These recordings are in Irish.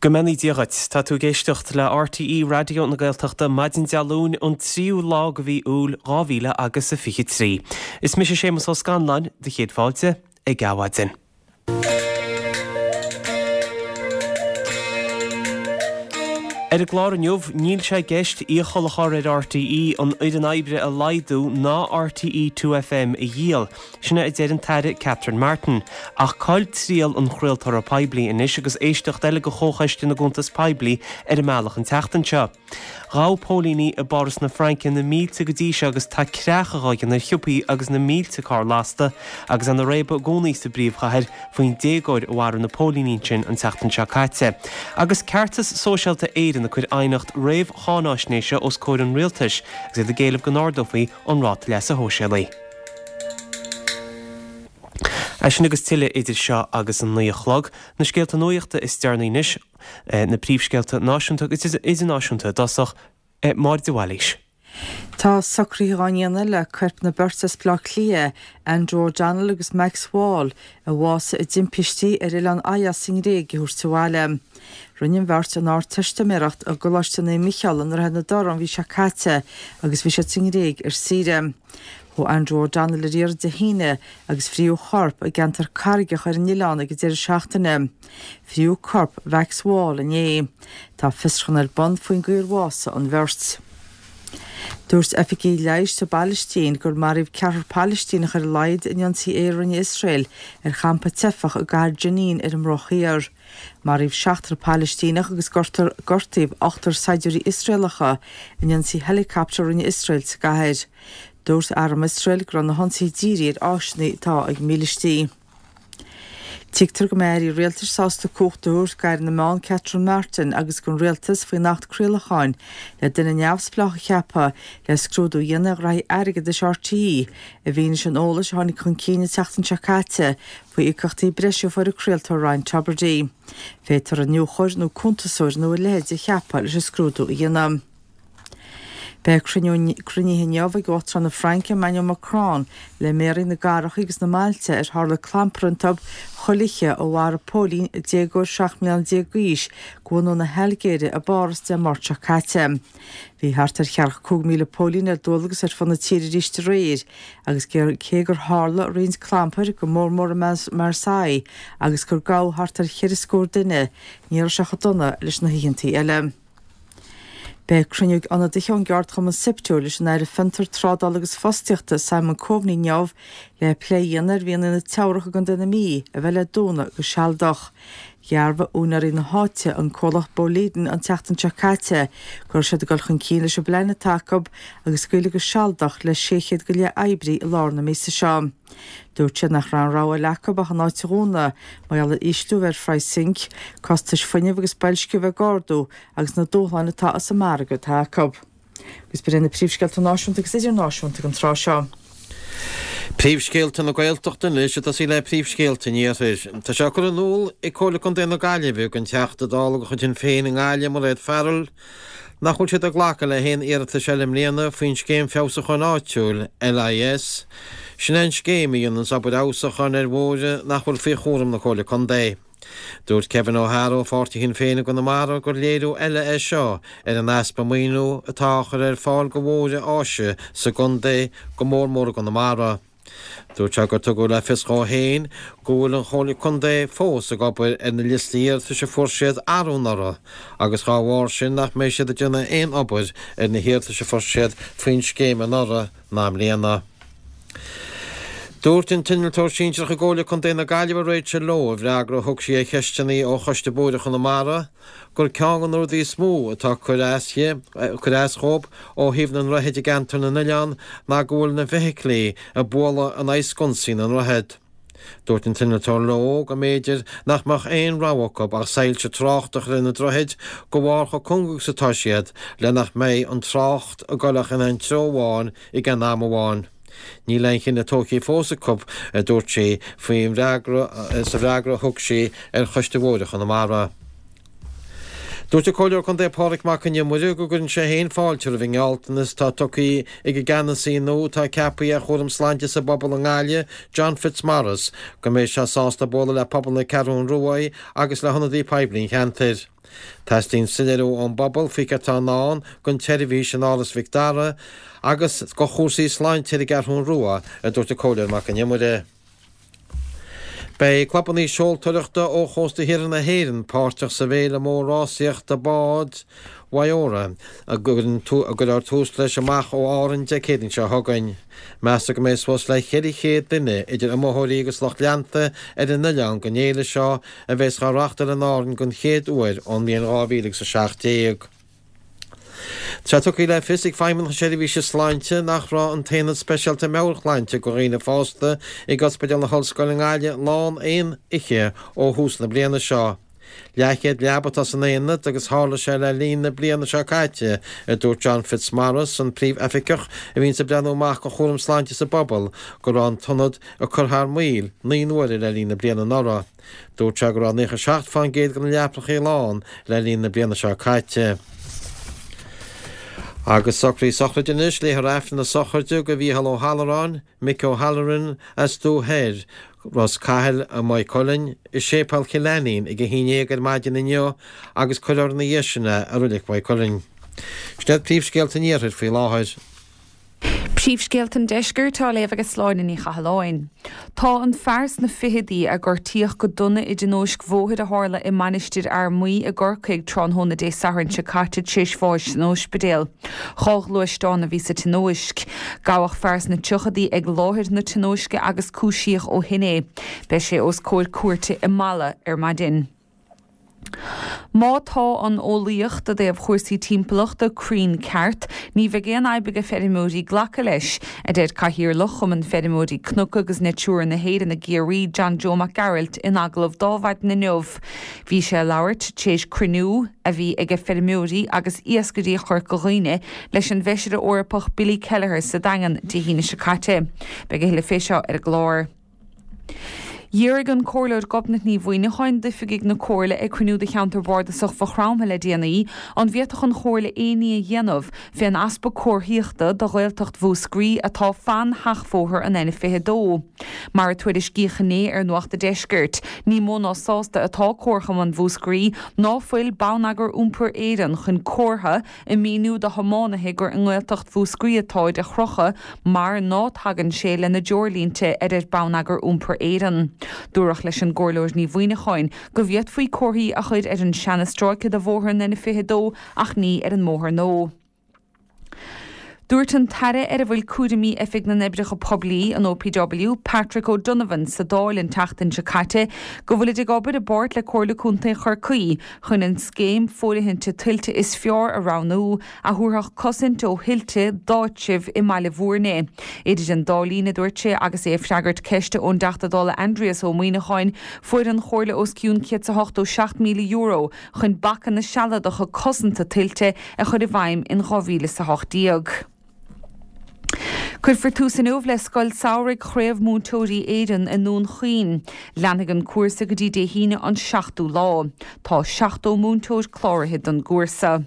Go mbeannaí Dia dhuit. Tá tú ag éisteacht le RTÉ Raidió na Gaeltachta maidin Dé Luain an tríú lá de mhí Iúil 2000 agus a 23. Is mise Séamus Ó Scanláin, do chéad fáilte ag Adhmhaidin. Ar an gclár inniu, níl sé i gceist iachall a chur ar RTÉ an fhoireann oibre a laghdú ná RTÉ 2FM a dhíol. Sin é a deir an tAire Catherine Martin. Ach cá'il triall an chraoltóra poiblí anois agus éisteacht eile de Chomhchoiste na gCuntas Poiblí ar an mbealach an tseachtain seo. Ghabh póilíní i bPáras na Fraince na mílte go dtí seo agus tá creachadh á dhéanamh ar shiopaí agus na mílte carr lasta agus ana réabadh i gcónaí sa bpríomhchathair faoin déagóir a mharaigh na póilíní ansin an tseachtain seo caite. Agus Ceartas Sóisialta Éireann ag cur aighneacht réamh-cháináisnéise os comhair an rialtais agus iad ag éileamh go n-ardófaí an ráta leasa shóisialaigh. É sin agus tuilleadh idir seo agus an 9 a chlog. Na scéalta nuachta is deireanaí anois. Na príomhscéalta náisiúnta agus idirnáisiúnta i dtosach, Máire de Bhailís. Tá socruithe á ndéanamh le coirp na beirte as Baile Átha Cliath, Andrew O'Donnell agus Max Wall, a bhásaigh i dtimpistí ar oileán Ios sa nGréig a thabhairt abhaile. Rinne an bheirt an Ardteistiméireacht i gColáiste Naomh Micheál i nDroichead na dTorc an mhí seo caite agus bhí siad sa nGréig ar saoire. Chuaigh Andrew O'Donnell ar iarraidh Dé hAoine agus fríodh a chorp i gceantar carraigeach ar an oileán ag an deireadh seachtaine. Fríodh corp Mhax Wall inné. Tá fiosrúchán ar bun faoin gcaoi ar bhásaigh an bheirt. Dúirt oifigigh leighis sa bPailistín gur maraíodh ceathrar Palaistíneach ar a laghad in ionsaí aeir a rinne Iosrael ar champa teifeach i gcathair Jenin ar an mBruach Thiar. Maraíodh seachtar Palaistíneach agus gortaíodh ochtar saighdiúirí Iosraelacha in ionsaí heileacaptair a rinne Iosrael sa gcathair. Dúirt arm Iosrael go raibh na hionsaithe dírithe ar áiseanna atá ag mílístí. Tuigtear go mbeidh airí rialtais sásta cumhacht a thabhairt d'Aire na Meán Catherine Martin agus don rialtas faoin Acht Craolacháin le duine neamhspleách a cheapadh le scrúdú a dhéanamh ar ghraithí airgeadais RTÉ i bhfianaise an eolais a tháinig chun cinn an tseachtain seo caite faoi íocaíochtaí breise a fuair an craoltóir Ryan Tubridy. Féadfar iniúchóir nó cuntasóir nó a leithéid a cheapadh leis an scrúdú a dhéanamh. Beidh cruinniú cruinnithe inniu ag Uachtarán na Fraince Emmanuel Macron le méaraí na gcathracha agus na mbailte ar tharla clampar iontu chuile oíche ó mharaigh póilín déagóir 17 mbliana d'aois de bhunadh na hAilgéire i bPáras Dé Máirt seo caite. Bhí thart ar cheathracha 5,000 póilín ar dualgas ar fud na tíre arís aréir agus cé gur tharla roinnt clampair, go mór mór i Marseille, agus gur gabhadh thart ar cheithre scór duine, ní raibh sé chomh dona leis na hoícheantaí eile. Beidh cruinniú ag ionadaithe ón gceardchumann Siptu leis an Aire Fiontar, Trádála agus Fostaíochta Simon Coveney inniu le plé a dhéanamh ar mhianaigh na Teamhrach i gContae na Mí a bheith le dúnadh go sealadach. Dhearbhaigh úinéirí na háite, an comhlacht Boliden, an tseachtain seo caite go raibh siad ag dul chun cinn leis an bplean atá acu agus scaoileadh go sealadach le 600 go leith oibrí i lár na míosa seo. Dúirt siad nach raibh aon rogha eile acu ach an áit a dhúnadh, mar gheall ar ísliú a bheith ar phraghas zinc, costais fuinnimh agus boilsciú a bheith ag ardú agus na dúshláin atá sa margadh atá acu. Agus b'in iad na príomhscéalta náisiúnta agus idirnáisiúnta ag an tráth seo. Príomhscéalta na Gaeltachta anois ag tosaí le príomhscéalta an Iarthair. Tá sé curtha in iúl ag Comhairle Contae na Gaillimhe don Teachta Dála de chuid Shinn Féin i nGaillimh, Mairéad Farrell, nach bhfuil siad ag glacadh le haon iarratais eile i mbliana faoin Scéim Feabhsúcháin Áitiúil, LIS. Sin é an scéim a dhéananns obair fheabhsúcháin ar bhóithre nach bhfuil faoi chúram na Comhairle Contae. Dúirt Kevin O'Hara ó pháirtí Shinn Féin i gConamara gur léiriú eile é seo ar an easpa maoiniú atá á chur ar fáil go bhóithre áise sa gcontae, go mór mór i gConamara. Dúirt sé gur tugadh le fios dhó féin go bhfuil an Chomhairle Contae fós ag obair ar na liostaí iarratais a fuair siad arú anuraidh agus dhá bharr sin nach mbeidh siad ag déanamh aon obair ar na hiarratais a fuair siad faoin scéim anuraidh ná i mbliana. Dúirt an t-innealtóir sinsearach i gComhairle Contae na Gaillimhe Rachel Lowe i bhfreagra a thug sí ar cheisteanna ó Choiste Bóithre Chonamara gur ceann de na rudaí is mó atá ag cur as di, ag cur as dhóibh ó thaobh na ndroichead i gceantar na n-oileán ná go bhfuil na feithiclí ag bualadh in aghaidh sconsaí na ndroichead. Dúirt an t-innealtóir Lowe go mb'fhéidir nach mbeadh aon rogha acu ach soilse tráchta a chur ar na droichid de bharr chomh cúng agus atá siad le nach mbeidh an trácht ag dul ach in aon treo amháin ag aon am amháin. Níl aon chinneadh tógtha fós acu, a dúirt sí faoin bhfreagra sa bhfreagra a thug sí ar Choiste Bhóithre Chonamara. Dúirt an Comhairleoir Contae Pádraig Mac Con Iomaire go gcuireann sé féin fáilte roimh an ngealltanas atá tugtha ag an gceannasaí nua atá ceaptha ar chúram sláinte sa bpobal i nGaillimh, John Fitzmaurice, go mbeidh sé sásta bualadh le pobal na Ceathrún Rua agus le hionadaí poiblí an cheantair. Teastaíonn soiléiriú ón bpobal faoi céard atá i ndán don tseirbhís in Áras Mhic Dara agus do chúrsaí sláinte ar an gCeathrún Rua, a dúirt an Comhairleoir Mac Con Iomaire. Beidh clubanna seoltóireachta ó chósta thiar na hÉireann páirteach sa bhféile mór rásaíochta bád Waiora, a gcuirfear tús leis amach ó Árainn Dé Céadaoin seo chugainn. Meastar go mbeidh suas le 400 duine, idir iomaitheoirí agus lucht leanta, ar an oileán don fhéile seo a bheas á reáchtáil in Árainn den chéad uair ón mbliain 2017. Tá sé tugtha le fios ag Feidhmeannacht na Seirbhíse Sláinte nach raibh an tAonad Speisialta Meabhairshláinte do dhaoine fásta ag Ospidéal na hOllscoile i nGaillimh lán aon oíche ó thús na bliana seo. Leathchéad leaba atá san aonad agus tharla sé le linn na bliana seo caite, a dúirt John Fitzmaurice, an Príomh-Oifigeach a bhíonns ag breathnú amach do chúram sláinte sa bpobal, go raibh an t-ionad ag cur thar maoil naoi n-uaire le linn na bliana anuraidh. Dúirt sé go raibh 97% de na leapacha lán le linn na bliana seo caite. Agus socruithe sochraide anois, léifear Aifreann na sochraide do Mhícheál Ó hAlluráin, Mick O'Halloran, as Dumha Thoir, Ros Cathail i Maigh Cuilinn, i Séipéal Chill Ainnín ag 11 ar maidin inniu agus cuirfear ina dhiaidh sin é i Reilig Mhaigh Cuilinn. Sin iad príomhscéalta an Iarthair faoi láthair. Príomhscéalta an Deiscirt á léamh ag Sláine Ní Chathalláin. Tá an fear sna ficheadaí a gortaíodh go dona i dtionóisc bhóthair a tharla i Mainistir Fhear Maí i gCorcaigh tráthnóna Dé Sathairn seo caite tar éis bháis san óispidéal. 2 ghluaisteán a bhí sa tionóisc. Gabhadh fear sna tríochadaí ag láthair na tionóisce agus cúisíodh ó shin é. Beidh sé os comhair cúirte i Mala ar maidin. Má tá an eolaíocht i dtaobh chúrsaí timpeallachta cruinn ceart, ní bheidh aon fhadhb ag feirmeoirí glacadh leis, a deir Cathaoirleach Chumann Feirmeoirí Cnoc agus Natura na hÉireann i gCiarraí, John Joe Mac Gearailt in agallamh d'Adhmhaidin inniu. Bhí sé ag labhairt tar éis cruinniú a bhí ag feirmeoirí agus iascairí Chorca Dhuibhne leis an bhFeisire Eorpach Billy Kelleher sa Daingean Dé hAoine seo caite. Beidh a thuilleadh fé seo ar an gclár. D'fhiafraigh an Comhairleoir Gobnait Ní Mhuineacháin d'oifigigh na Comhairle ag cruinniú de Cheantar Bardasach Mhaigh Chromtha le déanaí an bhféadfadh an Chomhairle aon ní a dhéanamh fén easpa comharthaíochta do Ghaeltacht Mhúscraí atá fan sheachbhóthar an N22. Mar a tuairiscíodh inné ar Nuacht a' Deiscirt, ní mó ná sásta atá Comharchumann Mhúscraí ná fuil Bonneagar Iompair Éireann chun comhartha ag míniú do thiománaithe gur i nGaeltacht Mhúscraí atáid a chrochadh mar ná tagann sé lena dtreoirlínte a deir Bonneagar Iompair Éireann. Dúradh leis an gComhairleoir Ní Mhuineacháin go bhféadfaí comharthaí a chur ar an seanastráice de bhóthar an N22 ach ní ar an mbóthar nua. Dúirt an tAire ar a bhfuil cúraimí Oifig na nOibreacha Poiblí, an OPW, Patrick O'Donovan sa Dáil an tseachtain seo caite go bhfuilid ag obair i bpáirt le Comhairle Contae Chorcaí chun an scéim fóirithinte tuilte is fearr a roghnú, a thabharfadh cosaint ó thuilte d'áitribh i mBaile Bhúirne. Idir an dá linn, a dúirt sé agus é ag freagairt ceiste ón dTeachta Dála Aindrias Ó Muimhneacháin, fuair an Chomhairle os cionn €187,000 chun bacanna sealadacha cosanta tuilte a chur i bhfeidhm in 2018. Cuirfear tús inniu le Scoil Samhraidh Chraobh Múinteoirí Éireann i nDún Chaoin. Leanfaidh an cúrsa go dtí Dé hAoine an 7ú lá. Tá 70 múinteoir cláraithe don gcúrsa.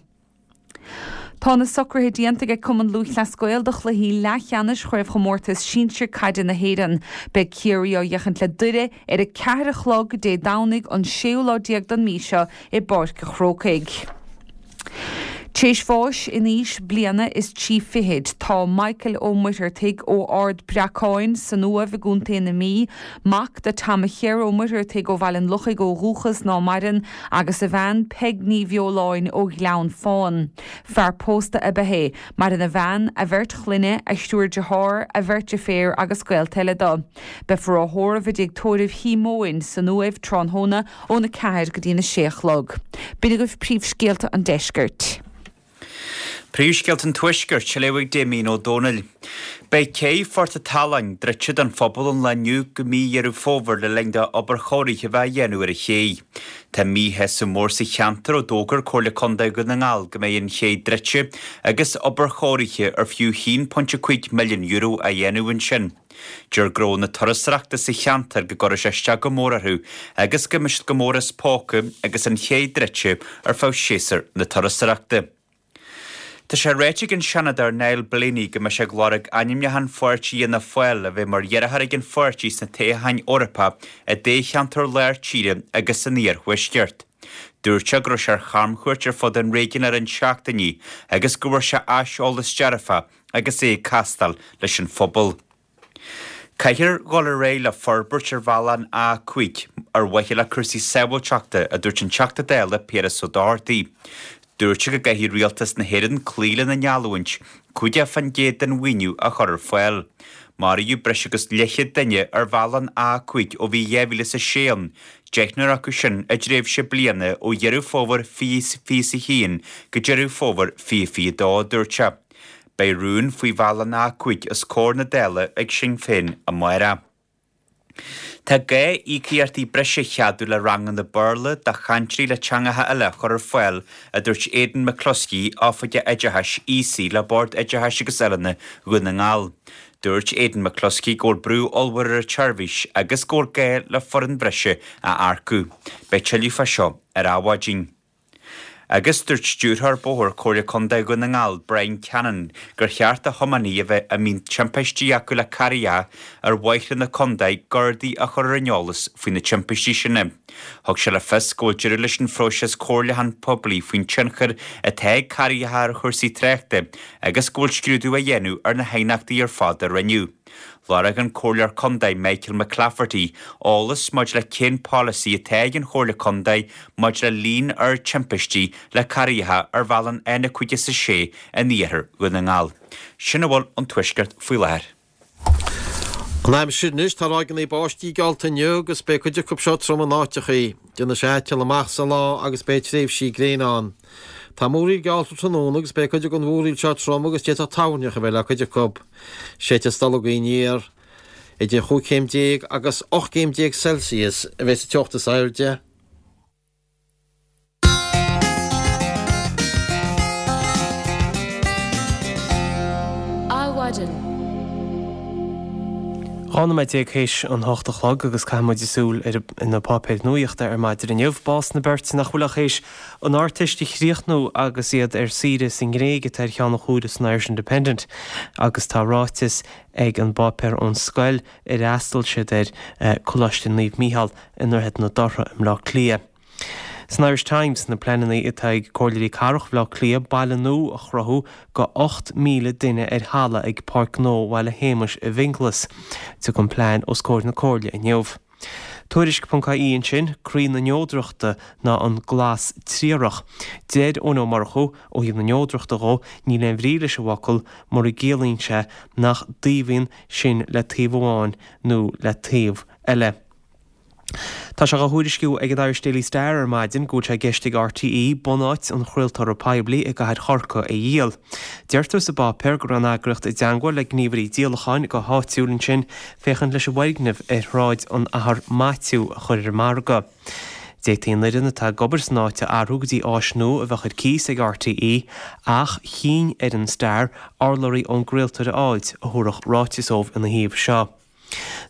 Tá na socruithe déanta ag Cumann Lúthchleas Gael do chluichí leathcheannais Chraobhchomórtas Sinsir Caide na hÉireann. Beidh Ciarraí á fhéachaint le Doire ar a ceathair a chlog Dé Domhnaigh an séú lá déag den mí seo i bPáirc a' Chrócaigh. Tréis bháis in aois bliana is trí fichid, tá Michael Ó Muircheartaigh ó Ard Breacáin san Uaimh i gContae na Mí, mac do Tom a Chéir Ó Muircheartaigh ó Bhaile an Lochaigh ó dhúchas ná maireann, agus a bhean Peig Ní Bheoláin ó Ghleann Fáin. Fear pósta ab ea é. Maireann a bhean, a bheirt chlainne, a thriúr dearthár, a bheirt deirféar agus gaolta eile dó. Beifear á thórramh i dtigh tórraimh Shíomóin san Uaimh tráthnóna óna 4 go dtí'n 6 a chlog. B'in agaibh príomhscéalta an deiscirt. Príomhscéalta an Tuaiscirt, á léamh ag Damien Ó Dónaill. Beidh cé Phort an tSaláin druidte don phobal ón lá inniu go mí Dheireadh Fómhair le linn do obair chóirithe a bheith á dhéanamh ar an ché. Tá míshásamh mór sa cheantar ó d'fhógair Comhairle Contae Dhún na nGall go mbeidh an ché druidte agus obair chóirithe ar fiú €1.5 milliún á dhéanamh ansin. Deir gnó na turasóireachta sa cheantar go gcuirfidh sé isteach go mór orthu agus go mbeidh siad go mór as póca agus an ché druidte ar feadh séasúr na turasóireachta. Tá sé ráite ag an Seanadóir Niall Blaney go mbeidh sé ag lorg ainmniúchán pháirtí Fhianna Fáil a bheith mar iarrthóir ag an pháirtí sna toghcháin Eorpacha i dtoghcheantar lár tíre agus san iarthuaisceart. Dúirt sé go raibh sé ar chamchuairt ar fud an réigiúin le roinnt seachtainí agus go bhfuair sé aiseolas dearfach agus é ag castáil leis an phobal. Caithfear dhul ar aghaidh le forbairt ar bhealach an A5 ar mhaithe le cúrsaí sábháilteachta, a dúirt an Teachta Dála Piaras Ó Dochartaigh. Dúirt sé go gcaithfidh Rialtas na hÉireann cloí lena ngeallúint 50% den mhaoiniú a chur ar fáil. Maraíodh breis agus leathchéad duine ar bhealach an A5 ó bhí 2006 ann, deichniúr acu sin i dtréimhse bliana ó Dheireadh Fómhair 2021 go Deireadh Fómhair 2022, a dúirt sé. Beidh rún faoi bhealach an A5 os comhair na Dála ag Sinn Féin amárach. Tá gá íocaíochtaí breise a cheadú le ranganna Béarla do chainteoirí le teangacha eile a chur ar fáil, a dúirt Aidan McCluskey, Oifigeach Oideachais Aosaigh le Bord Oideachais agus Oiliúna Dhún na nGall. Dúirt Aidan McCluskey go bhfuil brú ollmhór ar an tseirbhís agus go bhfuil gá le foireann bhreise a earcú. Beidh tuilleadh fá seo ar Adhmhaidin. Agus dúirt Stiúrthóir Bóthair Comhairle Contae Dhún na nGall, Brian Cannon, gur cheart do thiománaithe a bheith a mbíonn timpistí acu le carraecha ar bhóithre na contae Gardaí a chur ar an eolas faoi na timpistí sin. Thug sé le fios go bhfuil deireadh leis an phróiseas comhairliúchán poiblí faoin tionchar atá ag carraecha ar chúrsaí tráchta agus go bhfuil scrúdú á dhéanamh ar na haighneachtaí ar fad a rinneadh. Lorg an Comhairleoir Contae Michael McClafferty eolas maidir le cén polasaí atá ag an Chomhairle Contae maidir le líon ard timpistí le carraecha ar bhealach an N56 in iarthar Dhún na nGall. Sin a bhfuil ón Tuaisceart faoi láthair. An aimsir anois, tá ráigeanna báistí geallta inniu agus beidh cuid acu seo trom in áiteachaí. Déanfaidh sé aiteal amach sa lá agus beidh tréimhsí gréine ann. Tá múraíl geallta tráthnóna agus beidh cuid den mhúraíl seo trom agus d'fhéadfadh toirneach a bheith le cuid acu. Séidfidh stolgadh aniar. Idir chúig chéim déag agus 18 gcéim Celsius a bheidh sa teocht is airde. Adhmhaidin. 12 nóiméad théis an hocht a chlog agus caithfidh muid súil ar na páipéir nuaíochta ar maidin inniu. Bás na beirte nach bhfuil ach théis an Ardteist a chríochnú agus iad ar saoire sa nGréig atá ar cheann an chúire san Irish Independent agus tá ráiteas ag an bpáipéar ón scoil ar fhreastail siad air, Coláiste Naomh Mícheál i nDroichead na Dothra i mBleá Cliath. San Irish Times, na pleananna atá ag Comhairleoirí Cathrach Bhaile Átha Cliath baile nua a chruthú go 8,000 duine ar thalamh ag Páirc Gnó Bhaile Shéamais i bhFionnghlas. Tiocfaidh an plean os comhair na Comhairle inniu. Tuairisc.ie ansin, croí na neodrachta ná an glas triarach. Deir Eoin Ó Murchú, ó thaobh na neodrachta dhó, níl aon bhrí leis an bhfocal mura gciallaíonn sé nach dtaobhaíonn sinn le taobh amháin nó le taobh eile. Tá sé dhá thuairisciú ag an Irish Daily Star ar maidin go bhfuil sé i gceist ag RTÉ bunáit an chraoltóra poiblí i gcathair Chorcaí a dhíol. Deirtear sa bpáipéar go raibh an eagraíocht i dteangmháil le gníomhairí díolacháin go háitiúil ansin féachaint leis an bhfoirgneamh ar Shráid an Athar Maitiú a chur ar an margadh. D'fhéadfaí an fhoireann atá ag obair san áit a athrú go dtí áis nua a bheadh ar cíos ag RTÉ ach chinn ar an Star urlabhraí ón gcraoltóir a fháilt a thabharfadh ráiteas dóibh ina thaobh seo.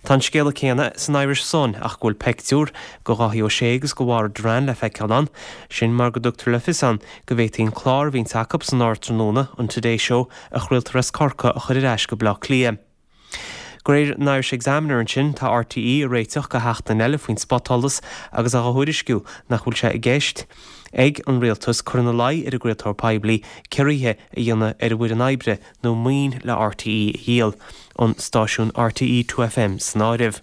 Tá an scéala céanna san Irish Sun ach go bhfuil peictiúr go Dháithí Ó Sé agus go Mháire Doran le feiceáil ann. Sin mar go dtugtar le fios ann go bhféadfaí an clár a bhíonns acu san ardtráthnóna, an Today Show, a chraoltar as Corcaigh a chur ar ais go Baile Átha Cliath. De réir an Irish Examiner ansin, tá RTÉ ag réiteach go sheachtain eile faoin spotsholas agus á thuairisciú nach bhfuil sé i gceist ag an rialtas cur ina luí ar an gcraoltóir poiblí ciorruithe a dhéanamh ar an bhfoireann oibre nó maoin le RTÉ a dhíol, an stáisiún RTÉ 2FM san áireamh.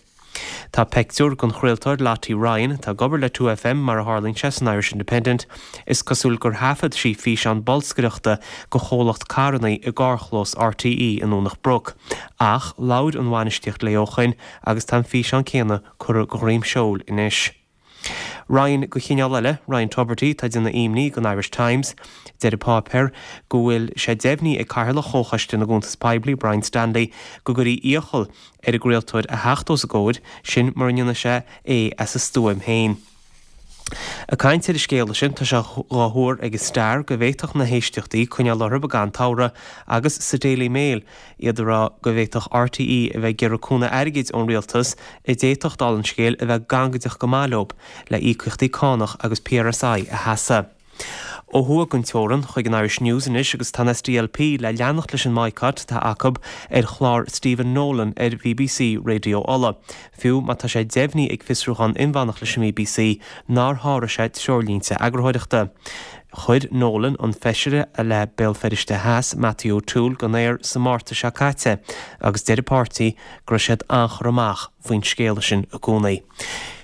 Tá peictiúr den chraoltóir Lottie Ryan, atá ag obair le 2FM mar a tharlaíonn sé, san Irish Independent. Is cosúil gur thaifead sí físeán bolscaireachta go chomhlacht carranna i gcarrchlós RTÉ i nDomhnach Broc. Ach labhair an bhainistíocht léi ó shoin agus tá an físeán céanna curtha go dhroim seoil anois. Ryan de chineál eile, Ryan Tubridy, atá ag déanamh imní don Irish Times. Deir an páipéar go bhfuil sé deimhnithe ag Cathaoirleach Chomhchoiste na gCuntas Poiblí, Brian Stanley, go gcuirfí iachall ar an gcraoltóir a theacht os a gcomhair, sin mura ndéanfaidh sé é as a stuaim féin. Ag caint ar an scéala sin, tá sé dhá thuar ag an Star go bhféadfadh na héisteachtaí coinneáil orthu i gcaitheamh an tsamhraidh agus sa Daily Mail iad ag rá go bhféadfadh RTÉ a bheith ag iarraidh cúnamh airgid ón rialtas a d'fhéadfadh, dála an scéil, a bheith gangaideach go maith leo le íocaíochtaí cánach agus PRSI a sheasamh. Ó thuaidh den teorann, chuig an Irish News anois agus tá an SDLP le leanacht leis an mbaghcat atá acu ar chlár Stephen Nolan ar BBC Raidió Uladh, fiú má tá sé deimhnithe ag fiosrúchán inmheánach leis an mBBC nár sháraigh sé treoirlínte eagarthóireachta. Chuir Nolan an feisire le Béal Feirste Theas, Matthew O'Toole, den aer sa Márta seo caite agus deir an páirtí go raibh siad an-churtha amach faoin scéala sin i gcónaí.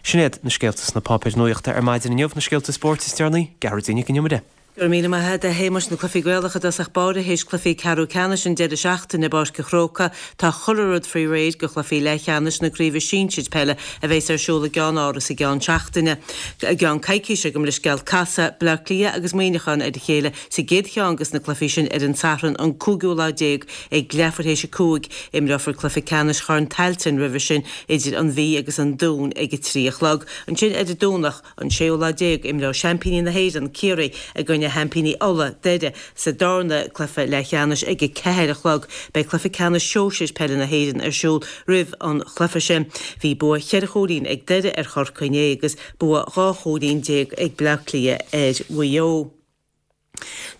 Sin iad na scéalta sna páipéir nuachta ar maidin inniu, na scéalta spóirt is deireanaí, Gearóidín Nic an Iomaire. Go raibh míle maith agat, a Shéamais. Na cluichí Gaelacha i dtosach báire théis cluichí ceathrú ceannais an deireadh seachtaine i bPáirc an Chrócaigh. Tá chuile rud faoi réir do chluichí leathcheannais na Craoibhe Sinsir Peile a bheas ar siúl i gCeann Áras i gceann seachtaine. I gceann coicíse gabh mo leithscéal. Casfaidh Bleá Cliath agus Muineachán ar a chéile sa gcéad cheann de na cluichí sin ar an Satharn an cúigiú lá déag ag leathuair théis a 5. Imreofar cluiche ceannais Chorn Tailteann roimhe sin idir an Mhí agus an Dún ag a 3 a chlog. Ansin ar an Domhnach, an séú lá déag, imreoidh seaimpíní na hÉireann, Ciarraí, i gcoinne sheaimpíní Uladh, Doire, sa darna cluiche leathcheannais ag a 4 a chlog. Beidh cluiche ceannais sóisir peile na hÉireann ar siúl roimh an chluiche sin. Bhí bua cheithre chúilín ag Doire ar Chorcaigh inné agus bua 12 chúilín ag Bleá Cliath ar Mhaigh Eo.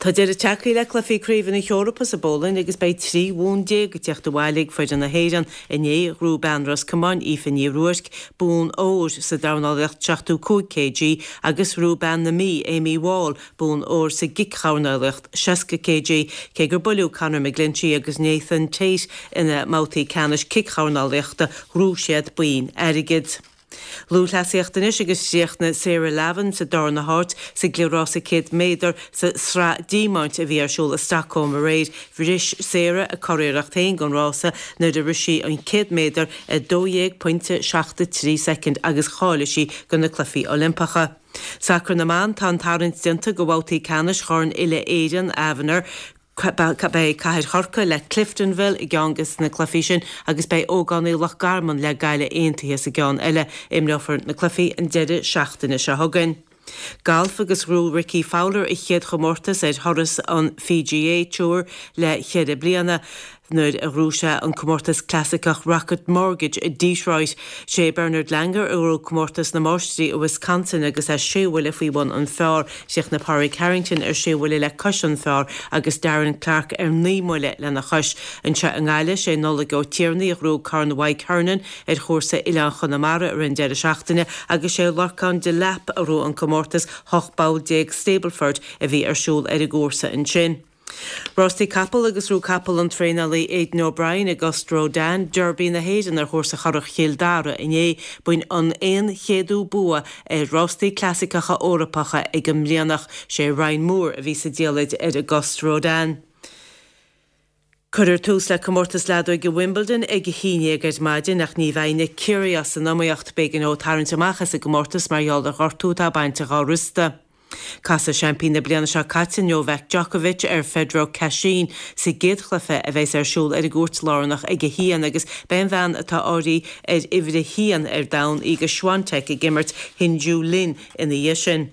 Tá deireadh tagtha le cluichí Craoibhe na hEorpa sa bPolainn agus beidh 13 bhonn ag teacht abhaile ag foireann na hÉireann. Inné, ghnóthaigh bean Ros Comáin, Aoife Ní Ruairc, bonn óir sa dornálaíocht 75 kg agus ghnóthaigh bean na Mí, Amy Wall, bonn óir sa gcic-dhornálaíocht 60 kg. Cé gur buaileadh Conor McGlinchey agus Nathan Tate ina mbabhtaí ceannais cic-dhornálaíochta, ghnóthaigh siad boinn airgid. Lúthchleasaíocht anois agus chríochnaigh Sarah Lavin sa darna háit sa gcliathrás 100 méadar sa Sraith Diamaint a bhí ar siúl i Stockholm aréir. Bhris Sarah a curiarracht féin don rása nuair a rith sí an 100 méadar i 12.73 soicind agus cháiligh sí do na Cluichí Oilimpeacha. Sacar na mBan, tá an tarraingt déanta do bhabhtaí ceannais Chorn Uile-Éireann Avenir. Beidh Cathair Chorcaí le Cliftonville i gceann de na cluichí sin agus beidh Ógánaigh Loch Garman le Gaillimh Aontaithe sa gceann eile. Imreofar na cluichí an deireadh seachtaine seo chugainn. Galf agus ghnóthaigh Rickie Fowler a chéad chomórtas ar thuras an PGA Tour le ceithre bliana. Nuair a ghnóthaigh sé an comórtas clasaiceach Rocket Mortgage i Detroit. Sé Bernard Langer a ghnóthaigh comórtas na Máistrí i Wisconsin agus é sé bhuille faoi bhun an phar. Chríochnaigh Pádraig Harrington ar sé bhuille le cois an phar agus Darren Clarke ar 9 mbuille lena chois. Anseo i nGaillimh, sé Nollaig Ó Tiarnaigh a ghnóthaigh Corn Mhaidhc Hernon ar chúrsa Oileán Chonamara i rith an deireadh seachtaine agus sé Lorcán Delap a ghnóthaigh an comórtas 18 bpoll Stableford a bhí ar siúl ar an gcúrsa ansin. Rástaí capall agus ghnóthaigh capall an traenálaí Aidan O'Brien Auguste Rodin, Derby na hÉireann ar chúrsa Churrach Chill Dara inné. B'in an 100ú bua ar rástaí clasaiceacha Eorpacha ag an mBrianach. Sé Ryan Moore a bhí sa diallait ar Auguste Rodin. Cuirfear tús le comórtas leadóige Wimbledon ag a haon dhéag ar maidin ach ní bheidh Nick Kyrgios san iomaíocht. B'éigean dó tarraingt amach as an gcomórtas mar gheall ar ghortú atá bainte dhá riosta. Casfaidh seaimpín na bliana seo caite Novak Djokovic ar Federico Cachin sa gcéad chluiche a bheas ar siúl ar an gcúirt lárnach ag a haon agus beidh an bhean atá áirithe ar uimhir a haon ar domhan Iga Swiatek ag imirt Hsin Yu Lin ina dhiaidh sin.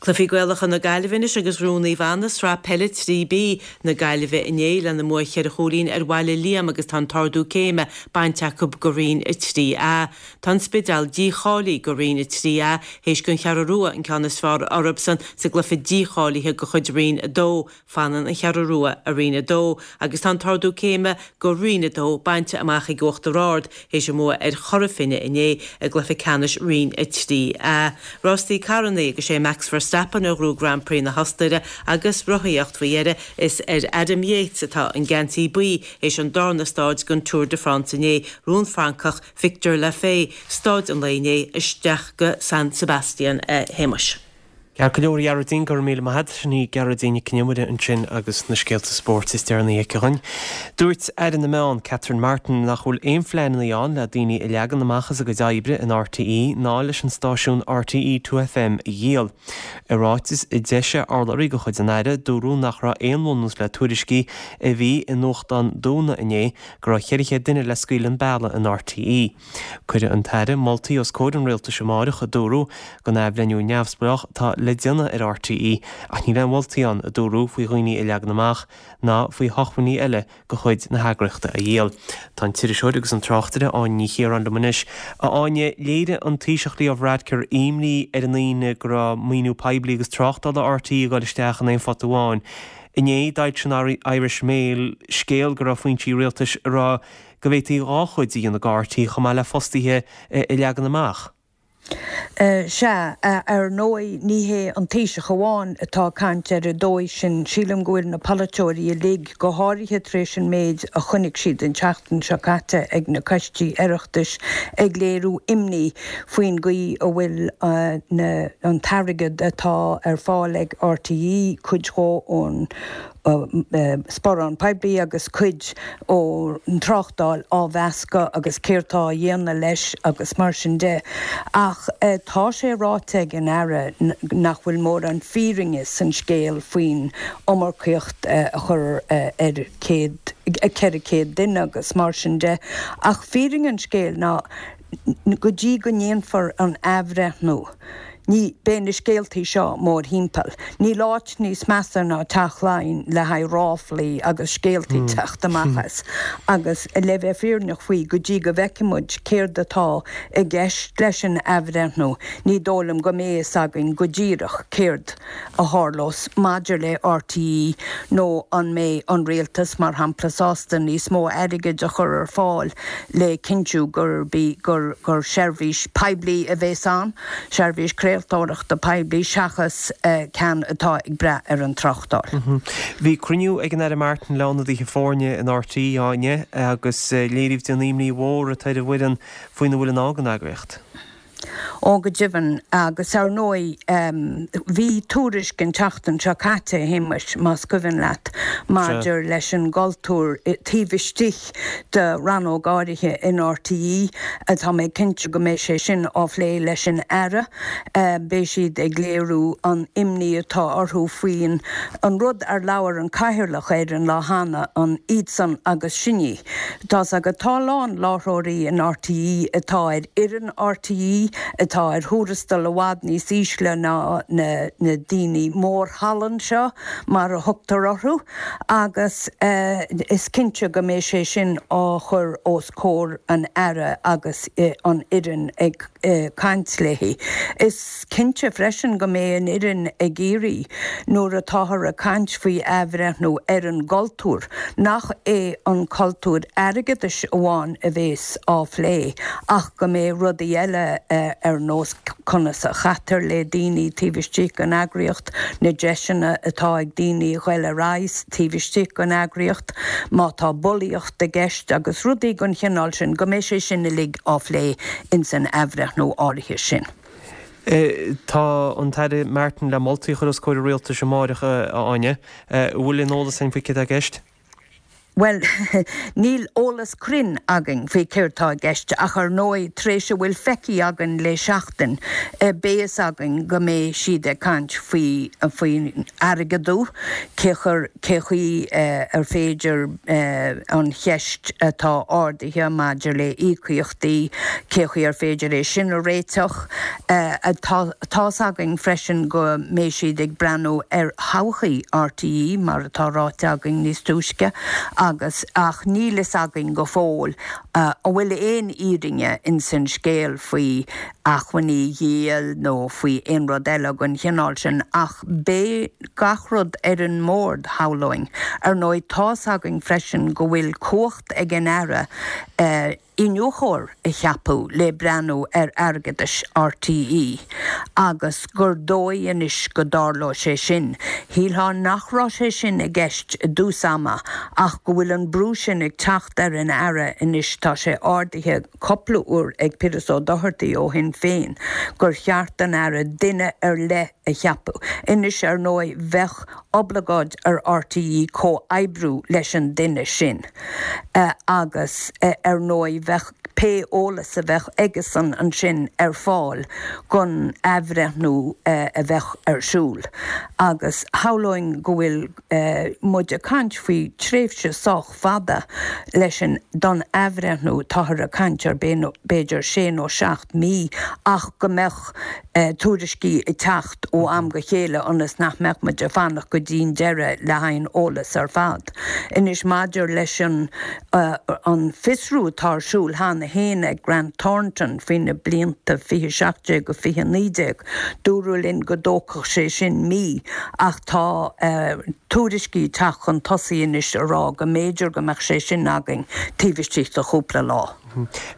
Cluichí Gaelacha na Gaillimhe anois agus ghnóthaigh Naomh Anna Sraith Peile 3B na Gaillimhe inné lena mbua cheithre chúilín ar Bhaile Liam agus tá an t-ardú céime bainte acu go Roinn 3A. Tá an Spidéal dícháilithe go Roinn 3A théis don Cheathrú Rua an ceann is fearr orthusan sa gcluiche dícháilithe de chuid Roinn 2. Fanann an Cheathrú Rua i Roinn 2 agus tá an t-ardú céime go Roinn 2 bainte amach ag Uachtar Ard théis a mbua ar Chora Finne inné i gcluiche ceannais Roinn 3A. Rástaí carrannaí agus sé Max Verstappen a ghnóthaigh Grand Prix na hOstaire agus rothaíocht faoi dheireadh is ar Adam Yates atá an geansaí buí théis an darna stáid den Tour de France inné. Ghnóthaigh an Francach Victor Lafay stáid an lae inné isteach go San Sebastian a Shéamais. Ceart go leor, a Ghearóidín, go raibh míle maith agat. Sin í Gearóidín Nic Con Iomaire ansin agus na scéalta spóirt is deireanaí aici dhúinn. Dúirt Aire na Meán, Catherine Martin, nach bhfuil aon phleananna ann le daoine a leagan amach as a gcuid oibre in RTÉ ná leis an stáisiún RTÉ 2FM a dhíol. I ráiteas a d'eisigh urlabhraí de chuid an Aire, dúradh nach raibh aon bhunús le tuairiscí a bhí i nuachtán Dúna inné go raibh 400 duine le scaoileadh an bealaigh in RTÉ. Cuirfidh an tAire moltaí os comhair an Rialtais amáireach, a dúradh, don athbhreithniú neamhspleách atá le déanamh ar RTÉ ach níl aon mholtaí ann, a dúradh, faoi dhaoine a leagan amach ná faoi shócmhainní eile de chuid na heagraíochta a dhíol. Tá an t-iriseoir agus an tráchtaire Áine Ní Chiaráin liom anois. A Áine, léirigh an Taoiseach Leo Varadkar imní ar an Aoine go raibh maoiniú poiblí agus tráchtála RTÉ ag dul isteach in aon phota amháin. Inné, d'fhoilsigh an Irish Mail scéal go raibh foinsí rialtais ag rá go bhféadfaí dhá chuid a dhéanamh de RTÉ chomh maith le fostaithe a leagan amach. Sea, ar ndóigh ní hé an Taoiseach amháin atá ag caint ar an dóigh sin. Sílim go bhfuil na polaiteoirí uilig, go háirithe tar éis an méid a chonaic siad an tseachtain seo caite ag na coistí Oireachtais, ag léiriú imní faoin gcaoi a bhfuil an t-airgead atá ar fáil ag RTÉ, cuid dhó ón sparán poiblí agus cuid ón tráchtáil á mheascadh agus céard tá á dhéanamh leis agus mar sin de. Ach tá sé ráite ag an Aire nach bhfuil mórán fírinne san scéal faoin iomarcaíocht a chur ar 400 duine agus mar sin de. Ach fírinne an scéil ná go dtí go ndéanfar an athbhreithniú, ní, beidh na scéaltaí seo mórthimpeall. Níl áit níos measa ná Teach Laighean le haghaidh ráflaí agus scéaltaí teacht amach as. Agus le bheith fírinneach faoi, go dtí go bhfeicfidh muid céard atá i gceist leis an athbhreithniú, ní dóigh liom go mbeidh fhios againn go díreach céard a tharlós maidir le RTÉ nó an mbeidh an rialtas, mar shampla, sásta níos mó airgid a chur ar fáil le cinntiú gurb í gur gur seirbhís poiblí a bheas ann, seirbhís craoltóireachta poiblí seachas ceann atá ag brath ar an tráchtáil. Bhí cruinniú ag an Aire Martin le ionadaithe foirne in RTÉ inné agus léiríodh di an imní mhór atá ar an bhfoireann faoina bhfuil i ndán don eagraíocht. Ó go deimhin, agus ar ndóigh bhí tuairisc an tseachtain seo caite, a Shéamais, más cuimhin leat, maidir leis an gcultúr taobh istigh de rannóg áirithe in RTÉ. Tá mé cinnte go mbeidh sé sin á phlé leis an Aire. Beidh siad ag léiriú an imní atá orthu faoin an rud ar labhair an Cathaoirleach air an lá cheana, an iadsan agus sinne. Tá's agat, tá a lán láithreoirí in RTÉ atá ar fhoireann RTÉ atá ar thuarastal i bhfad níos ísle ná na daoine mórthallann seo, mar a thugtar orthu, agus is cinnte go mbeidh sé sin á chur os comhair an Aire agus an fhoireann ag caint léi. Is cinnte freisin go mbeidh an fhoireann ag iarraidh, nuair atáthar ag caint faoi athbhreithniú ar an gcultúr, nach é an cultúr airgeadais amháin a bhéas á phlé ach go mbeidh rudaí eile ar nós conas a chaitear le daoine taobh istigh den eagraíocht, na deiseanna atá ag daoine a ghoil ar aghaidh taobh istigh den eagraíocht, má tá bulaíocht i gceist agus rudaí den chineál sin, go mbeidh sé sin uilig á phlé ins an athbhreithniú áirithe sin. Tá an tAire Martin le moltaí a chur os comhair an Rialtais amáireach, a Áine. An bhfuil aon eolas againn faoi céard atá i gceist? Bhuel, níl eolas cruinn againn faoi céard tá i gceist ach ar ndóigh tar éis a bhfuil feicthe againn le seachtain beidh fhios againn go mbeidh siad ag caint faoi faoin airgeadú, cé chur cé chaoi ar féidir an cheist atá ardaithe maidir le íocaíochtaí, cé chaoi ar féidir é sin a réiteach. Tá's againn freisin go mbeidh siad ag breathnú ar thodhchaí RTÉ, mar atá ráite againn níos túisce, agus ach níl fhios againn go fóill an bhfuil aon fhírinne ins an scéal faoi acmhainní a dhíol nó faoi aon rud eile den chineál sin, ach beidh gach rud ar an mbord, shamhlóinn. Ar ndóigh, tá's againn freisin go bhfuil cumhacht ag an Aire iniúchóir a cheapadh le breathnú ar airgeadais RTÉ agus gur dóigh anois go dtarlóidh sé sin. Shílfeá nach raibh sé sin i gceist i dtús ama ach go bhfuil an brú sin ag teacht ar an Aire anois. tá sé ardaithe cupla uair ag Piaras Ó Dochartaigh ó Shinn Féin gur cheart don Aire duine ar leith a cheapadh. Anois, ar ndóigh, bheadh oblagáid ar RTÉ comhoibriú leis an duine sin agus, ar ndóigh, bheadh pé eolas a bheadh aigesan ansin ar fáil don athbhreithniú a bheadh ar siúl. Agus shamhlóinn go bhfuil muid ag caint faoi tréimhse sách fada leis an don athbhreithniú, táthar ag caint ar b'fhéidir sé nó 7 mí ach go mbeadh tuairiscí ag teacht ó am go chéile ionas nach mbeadh muid ag fanacht go dtí'n deireadh le haghaidh an eolas ar fad. Anois maidir leis an an fiosrú atá ar siúl cheana féin ag Grant Thornton faoi na blianta 2017-2019, dúradh linn go dtógfadh sé sin mí ach tá tuairiscí ag teacht chun tosaigh anois a rá go mb'fhéidir go mbeadh sé sin againn taobh istigh de chúpla lá.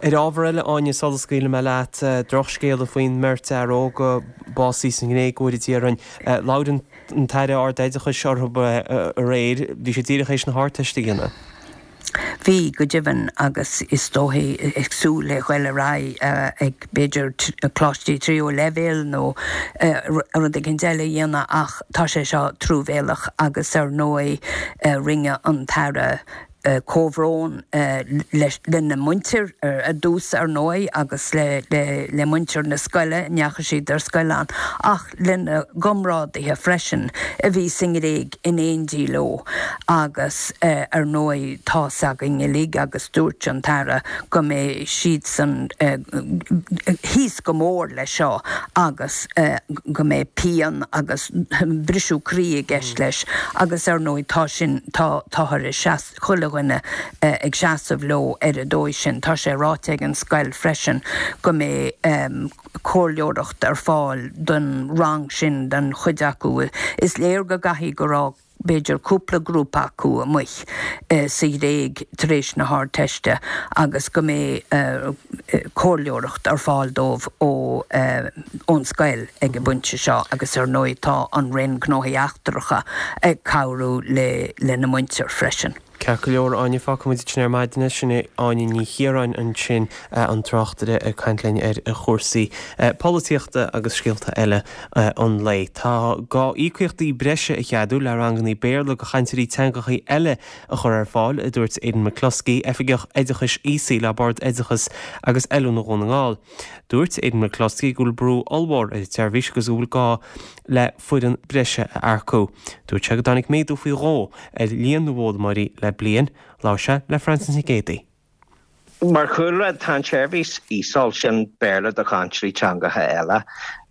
Ar ábhar eile, Áine, sula scaoilfidh mé leat, drochscéala faoin mbeirt fhear óg a básaíodh sa nGréig uair Déardaoin. Labhair an tAire Ard-Oideachais orthu aréir. Bhí siad díreach théis na hArdteiste a dhéanamh. Bhí, go deimhin, agus is dóichí ag súil le ghoil ar aghaidh ag, b'fhéidir, coláistí tríú leibhéal nó rud éicint eile a dhéanamh ach tá sé seo truamhéalach agus ar ndóigh rinne an tAire comhbhrón lena muintir ar dtús ar ndóigh agus le muintir na scoile a ndeachaigh siad ar scoil ann ach lena gcomrádaithe freisin a bhí sa nGréig in éindí leo agus ar ndóigh tá's againn uilig agus dúirt an tAire go mbeidh siadsan thíos go mór leis seo agus go mbeidh pian agus briseadh croí i gceist leis agus ar ndóigh tá sin tá táthar ag seas, chuile dhuine ag seasamh leo ar an dóigh sin. Tá sé ráite ag an scoil freisin go mbeidh comhairleoireacht ar fáil don rang sin, don chuid acu. Is léir go gcaithfidh go raibh b'fhéidir cúpla grúpa acu amuigh sa Ghréig tar éis na hArdteiste agus go mbeidh comhairleoireacht ar fáil dóibh ón scoil ag an bpointe seo agus ar ndóigh tá an Roinn Gnóthaí Eachtracha ag cabhrú lena muintir freisin. Ceart go leor, Áine, fágfaidh muid ansin ar maidin é. Sin í Áine Ní Chiaráin ansin, an tráchtaire ag caint linn ar chúrsaí polaitíochta agus scéalta eile an lae. Tá gá íocaíochtaí breise a cheadú le ranganna Béarla do chainteoirí teangacha eile a chur ar fáil, a dúirt Aidan McCluskey, Oifigeach Oideachais Aosaigh le Bord Oideachais agus Oiliúna Dhún na nGall. Dúirt Aidan McCluskey go bhfuil brú ollmhór ar an tseirbhís agus go bhfuil gá le foireann breise a earcú. Dúirt sé go dtáinig méadú faoi dhó ar líon na bhfoghlaimeoirí le bliain. Labhair sé le Frances Nic Géadaigh. Mar chúlra, tá an tseirbhís ESOL, sin Béarla do chainteoirí teangacha eile,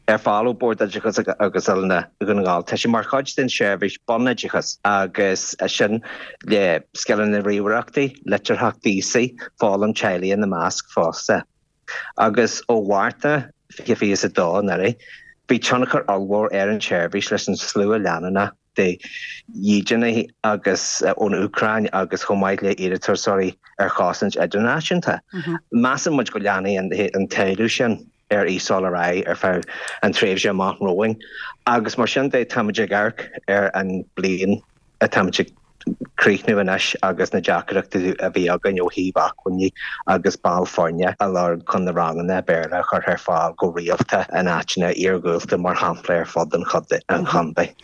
ar fáil ó Bhord Oideachais agus Oiliúna Dhún na nGall. Tá sé mar chuid den tseirbhís bunoideachais agus sin le scileanna ríomhaireachta, litearthacht aosaigh, foghlaim teaghlaigh ina measc fosta. Agus ó Mhárta 2022 anuraidh, bhí tionchar ollmhór ar an tseirbhís leis an slua leanúnach de dhídeanaithe agus ón Úcráin agus chomh maith le iarratasóirí ar chosaint idirnáisiúnta. Measann muid go leanfaidh an t-éileamh sin ar ESOL ar aghaidh ar feadh an tréimhse amach romhainn agus mar sin de táimid ag amharc ar an bliain atáimid ag críochnú anois agus na deacrachtaí a bhí againn ó thaobh acmhainní agus ball foirne a lorg chun na ranganna Béarla a chur ar fáil go rialta in áiteanna iargúlta mar shampla ar fud an chontae.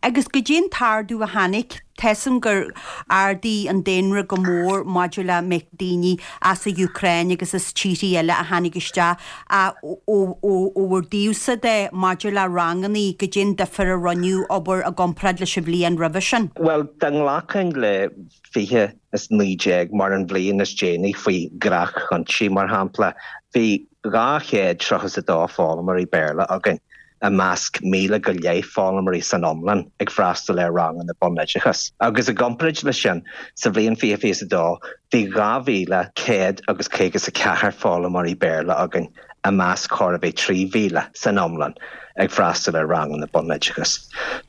Agus goidé an t-ardú a tháinig, tá 'fhios a'm gur ardaigh an daonra go mór maidir le méid daoine as an Úcráin agus as tíorthaí eile a tháinig isteach ach ó bhur dtaobhsa de maidir le rangannaí, goidé an difear a rinneadh abair i gcomparáid leis an bhliain roimhe sin? Bhuel, dá nglacfainn le 2019 mar an bhliain is déanaí faoi ghnách-chúinsí, mar shampla, bhí 232 foghlaimeoirí Béarla againn. i measc 1,000 go leith foghlaimeoirí san iomlán ag freastal ar ranganna bunoideachais. Agus i gcomparáid leis sin, sa bhliain 2022, bhí 2,100 agus 54 foghlaimeoirí Béarla againn i measc chóir a bheith 3,000 san iomlán ag freastal ar ranganna bunoideachais.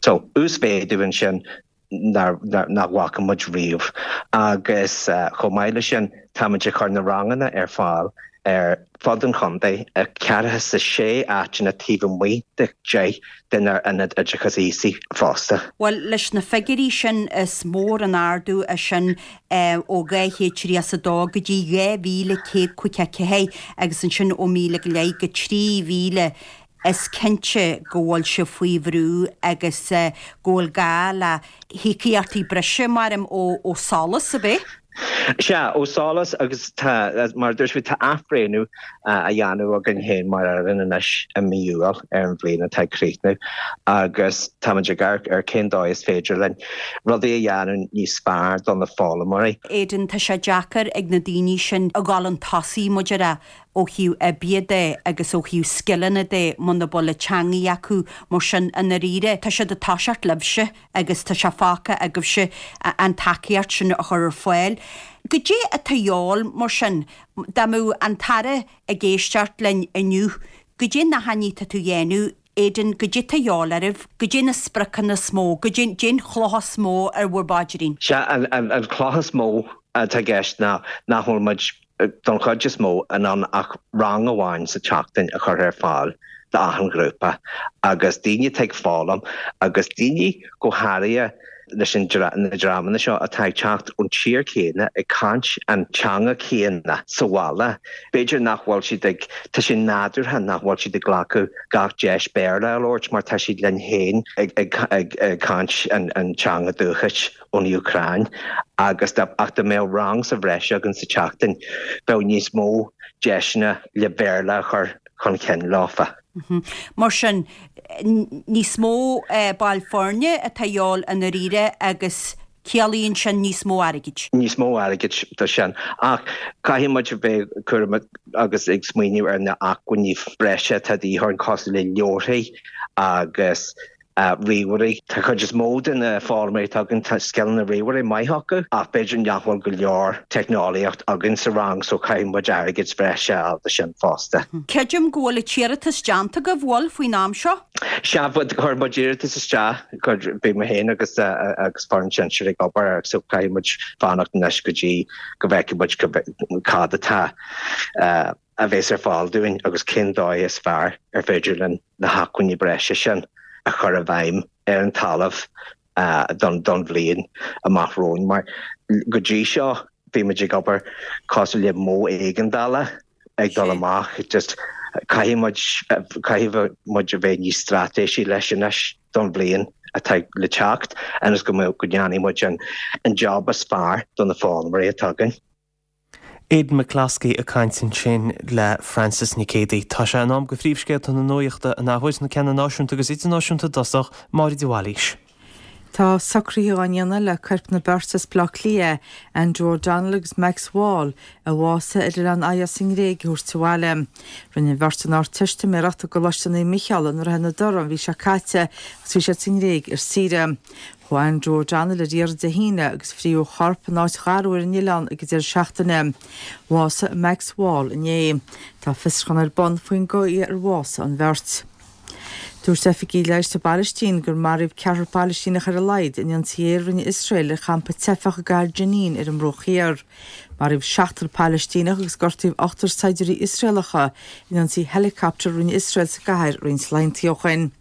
So, uasmhéadú ansin nach bhfaca muid riamh. Agus chomh maith leis sin, táimid ag cur na ranganna ar fáil. ar fud an chontae i ceathracha is a sé áiteanna taobh amuigh de 10 denár ionaid oideachais aosaigh fosta. Bhuel, leis na figiúirí sin is mór an ardú é sin ó 232 go dtí 2,154 agus ansin ó míle go leith go 3,000. Is cinnte go bhfuil sibh faoi bhrú agus go bhfuil gá le híocaíochtaí breise, maram, ó SOLAS, ab é? Sea, ó SOLAS agus tá, mar a dúirt mé, tá athbhreithniú á dhéanamh againn féin mar fhoireann anois i mí Iúil ar an bhliain atá ag críochnú agus táimid ag amharc ar cén dóigh is féidir linn rudaí a dhéanamh níos fearr do na foghlaimeoirí. Aidan, tá sé deacair ag na daoine sin a dhul chun tosaigh, mar a déarfá, ó thaobh oibre de agus ó thaobh scileanna de muna bhfuil an teangaidh acu, mar sin, i ndáiríre, tá siad ag toiseacht libhse agus tá sé fágtha agaibhse an tacaíocht sin a chur ar fáil. Goidé atá a dhíobháil mar sin, dá mbeadh an tAire ag éisteacht linn inniu, goidé na hainí atá tú a dhéanamh, Aidan, goidé atá a dhíobháil oraibh, goidé na spriocanna is mó, goidé an chloch is mó ar bhur bpaidrín? Sea, an chloch is mó atá i gceist ná nach bhfuil muid don chuid is mó, in ann ach rang amháin sa tseachtain a chur ar fáil d'achan ghrúpa agus daoine atá ag foghlaim agus daoine go háirithe leis na dreamanna seo atá ag teacht ón tír chéanna ag caint an teanga chéanna sa bhaile, b'fhéidir nach bhfuil siad ag, tá sé nádúrtha nach bhfuil siad ag glacadh gach deis Béarla a labhairt mar tá siad linn féin ag caint an teanga dúchais. ón Úcráin agus dá ach dá mbeadh rang sa bhreis againn sa tseachtain, bheadh níos mó deiseanna le Béarla a chur chun cinn leofa. Mar sin, níos mó baill foirne atá a dhíobháil i ndáiríre agus ciallaíonn sin níos mó airgid. Níos mó airgid do sin. Ach caithfidh muid a bheith cúramach agus ag smaoineamh ar na acmhainní breise atá de dhíth orainn cosúil le leabharthaí agus ríomhairí. Tá cuid is mó de na foghlaimeoirí atá againn, tá scileanna ríomhairí maith acu ach b'fhéidir nach bhfuil go leor teicneolaíocht againn sa rang so caithfidh muid airgead breise a fháil do sin fosta. Creidim go bhfuil an t-iarratas déanta agaibh, bhfuil, faoin am seo? Sea, chuir muid iarratas isteach, bhí mé féin agus agus foireann sinsir ag obair air so caithfidh muid fanacht anois go dtí go bhfeicfidh muid cad atá a bheas ar fáil dúinn agus cén dóigh is fearr ar féidir linn na hacmhainní breise sin a chur i bhfeidhm ar an talamh don bhliain amach romhainn. Mar go dtí seo bhí muid ag obair cosúil le modh éigeandála ag dul amach, just caithfidh muid, caithfidh muid a bheith níos straitéisí leis anois don bhliain atá le teacht ionas go mbeadh, go ndéanfaidh muid an job is fearr do na foghlaimeoirí atá againn. Aidan McCloskey ag caint ansin le Frances Nic Géadaigh. Tá sé in am do phríomhscéalta na nuachta an athuair, na ceanna náisiúnta agus idirnáisiúnta i dtosach, Máire de Bhailís. Tá socruithe á ndéanamh le coirp na beirte as Baile Átha Cliath, Andrew O'Donnell agus Max Wall, a bhásaigh ar oileán Ios sa nGréig, a thabhairt abhaile. Rinne an bheirt an Ardteistiméireacht i gColáiste Naomh Micheál i nDroichead na dTorán an mhí seo caite agus bhí siad sa nGréig ar saoire. Chuaigh Andrew O'Donnell ar iarraidh Dé hAoine agus frítheadh a chorp in áit gharbh ar an oileán ag an deireadh seachtaine. Bhásaigh Max Wall inné. Tá fiosrúchán ar bun faoin gcaoi ar bhásaigh an bheirt. Dúirt oifigigh leighis sa bPailistín gur maraíodh ceathrar Pailistíneach ar a laghad in ionsaí aeir a rinne Iosrael ar champa teifeach i gcathair Jenin ar an mBruach Thiar. Maraíodh seachtar Pailistíneach agus gortaíodh ochtar saighdiúirí Iosraelacha in ionsaí helicopter a rinne Iosrael sa gcathair roinnt laethanta ó shin.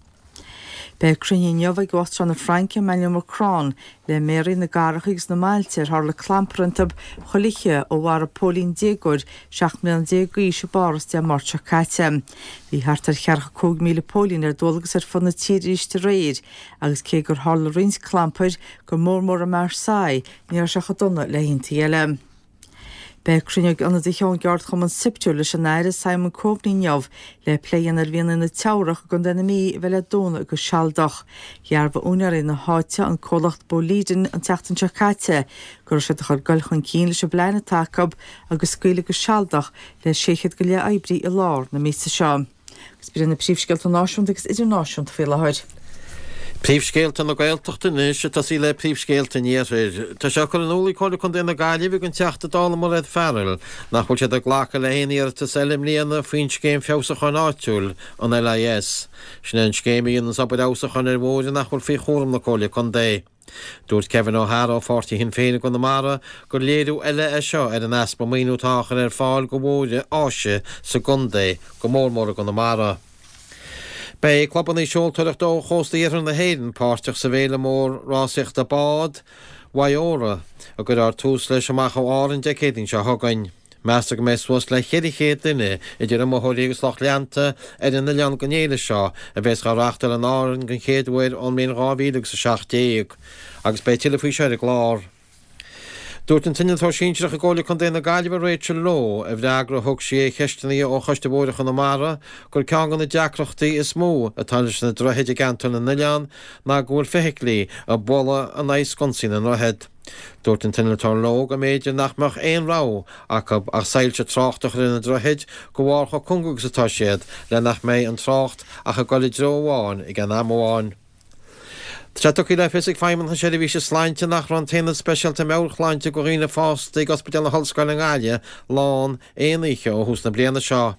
Beidh cruinniú inniu ag Uachtarán na Fraince, Emmanuel Macron, le méaraí na gcathracha agus na mbailte ar tharla clampar iontu chuile oíche ó mharaigh póilín déagóir 17 mbliana d'aois i bPáras Dé Máirt seo caite. Bhí thart ar cheathracha 5,000 póilín ar dualgas ar fud na tíre arís aréir agus cé gur tharla roinnt clampair, go mór mór i Marseille, ní raibh sé chomh dona le hoícheanta eile. Beidh cruinniú ag ionadaithe ón gceardchumann Siptu leis an Aire Simon Coveney inniu le plé a dhéanamh ar mhianaigh na Teamhrach i gContae na Mí a bheidh le dúnadh go sealadach. Dhearbhaigh úinéirí na háite, an comhlacht Boliden, an tseachtain seo caite go raibh siad ag chur dul chun cinn leis an bplean atá acu agus scaoileadh go sealadach le 600 go leith oibrí i lár na míosa seo. Agus b'in iad na príomhscéalta náisiúnta agus idirnáisiúnta faoi láthair. Príomhscéalta na Gaeltachta anois, ag tosaí le príomhscéalta an Iarthair. Tá sé curtha in iúl ag Comhairle Contae na Gaillimhe don Teachta Dála Mairéad Farrell nach bhfuil siad ag glacadh le haon iarratas eile i mbliana faoin Scéim Feabhsúcháin Áitiúil, an LIS. Sin é an scéim a dhéananns obair fheabhsúcháin ar bhóithre nach bhfuil faoi chúram na Comhairle Contae. Dúirt Kevin O'Hara ó pháirtí Shinn Féin i gConamara gur léiriú eile é seo ar an easpa maoiniú atá á chur ar fáil go bhóithre áise sa gcontae, go mór mór i gConamara. Beidh clubanna seoltóireachta ó chósta iarthar na hÉireann páirteach sa bhféile mór rásaíochta bád, Waiora, a gcuirfear tús leis amach ó Árainn Dé Céadaoin seo chugainn. Meastar go mbeidh suas le 400 duine, idir iomaitheoirí agus lucht leanta, ar an oileán don fhéile seo, a bheas á reáchtáil in Árainn den chéad uair ón mbliain 2017. Agus beidh tuilleadh faoi seo ar an gclár. Dúirt an t-innealtóir sinsearach i gComhairle Contae na Gaillimhe Rachel Lowe, i bhfreagra a thug sí ar cheisteanna ó Choiste Bhóithre Chonamara, gur ceann de na deacrachtaí is mó atá leis na droichid i gCeantar na nOileán ná go bhfuil feithiclí ag bualadh in aghaidh sconsaí na ndroichead. Dúirt an t-innealtóir Lowe go mb'fhéidir nach mbeadh aon rogha acu ach soilse tráchta a chur ar na droichid de bharr chomh cúng agus atá siad le nach mbeidh an trácht ach ag dul i dtreo amháin ag aon am amháin. Tá sé tugtha le fios ag Feidhmeannacht na Seirbhíse Sláinte nach raibh an tAonad Speisialta Meabhairshláinte do dhaoine fásta ag Ospidéal na hOllscoile i nGaillimh lán aon oíche ó thús na bliana seo.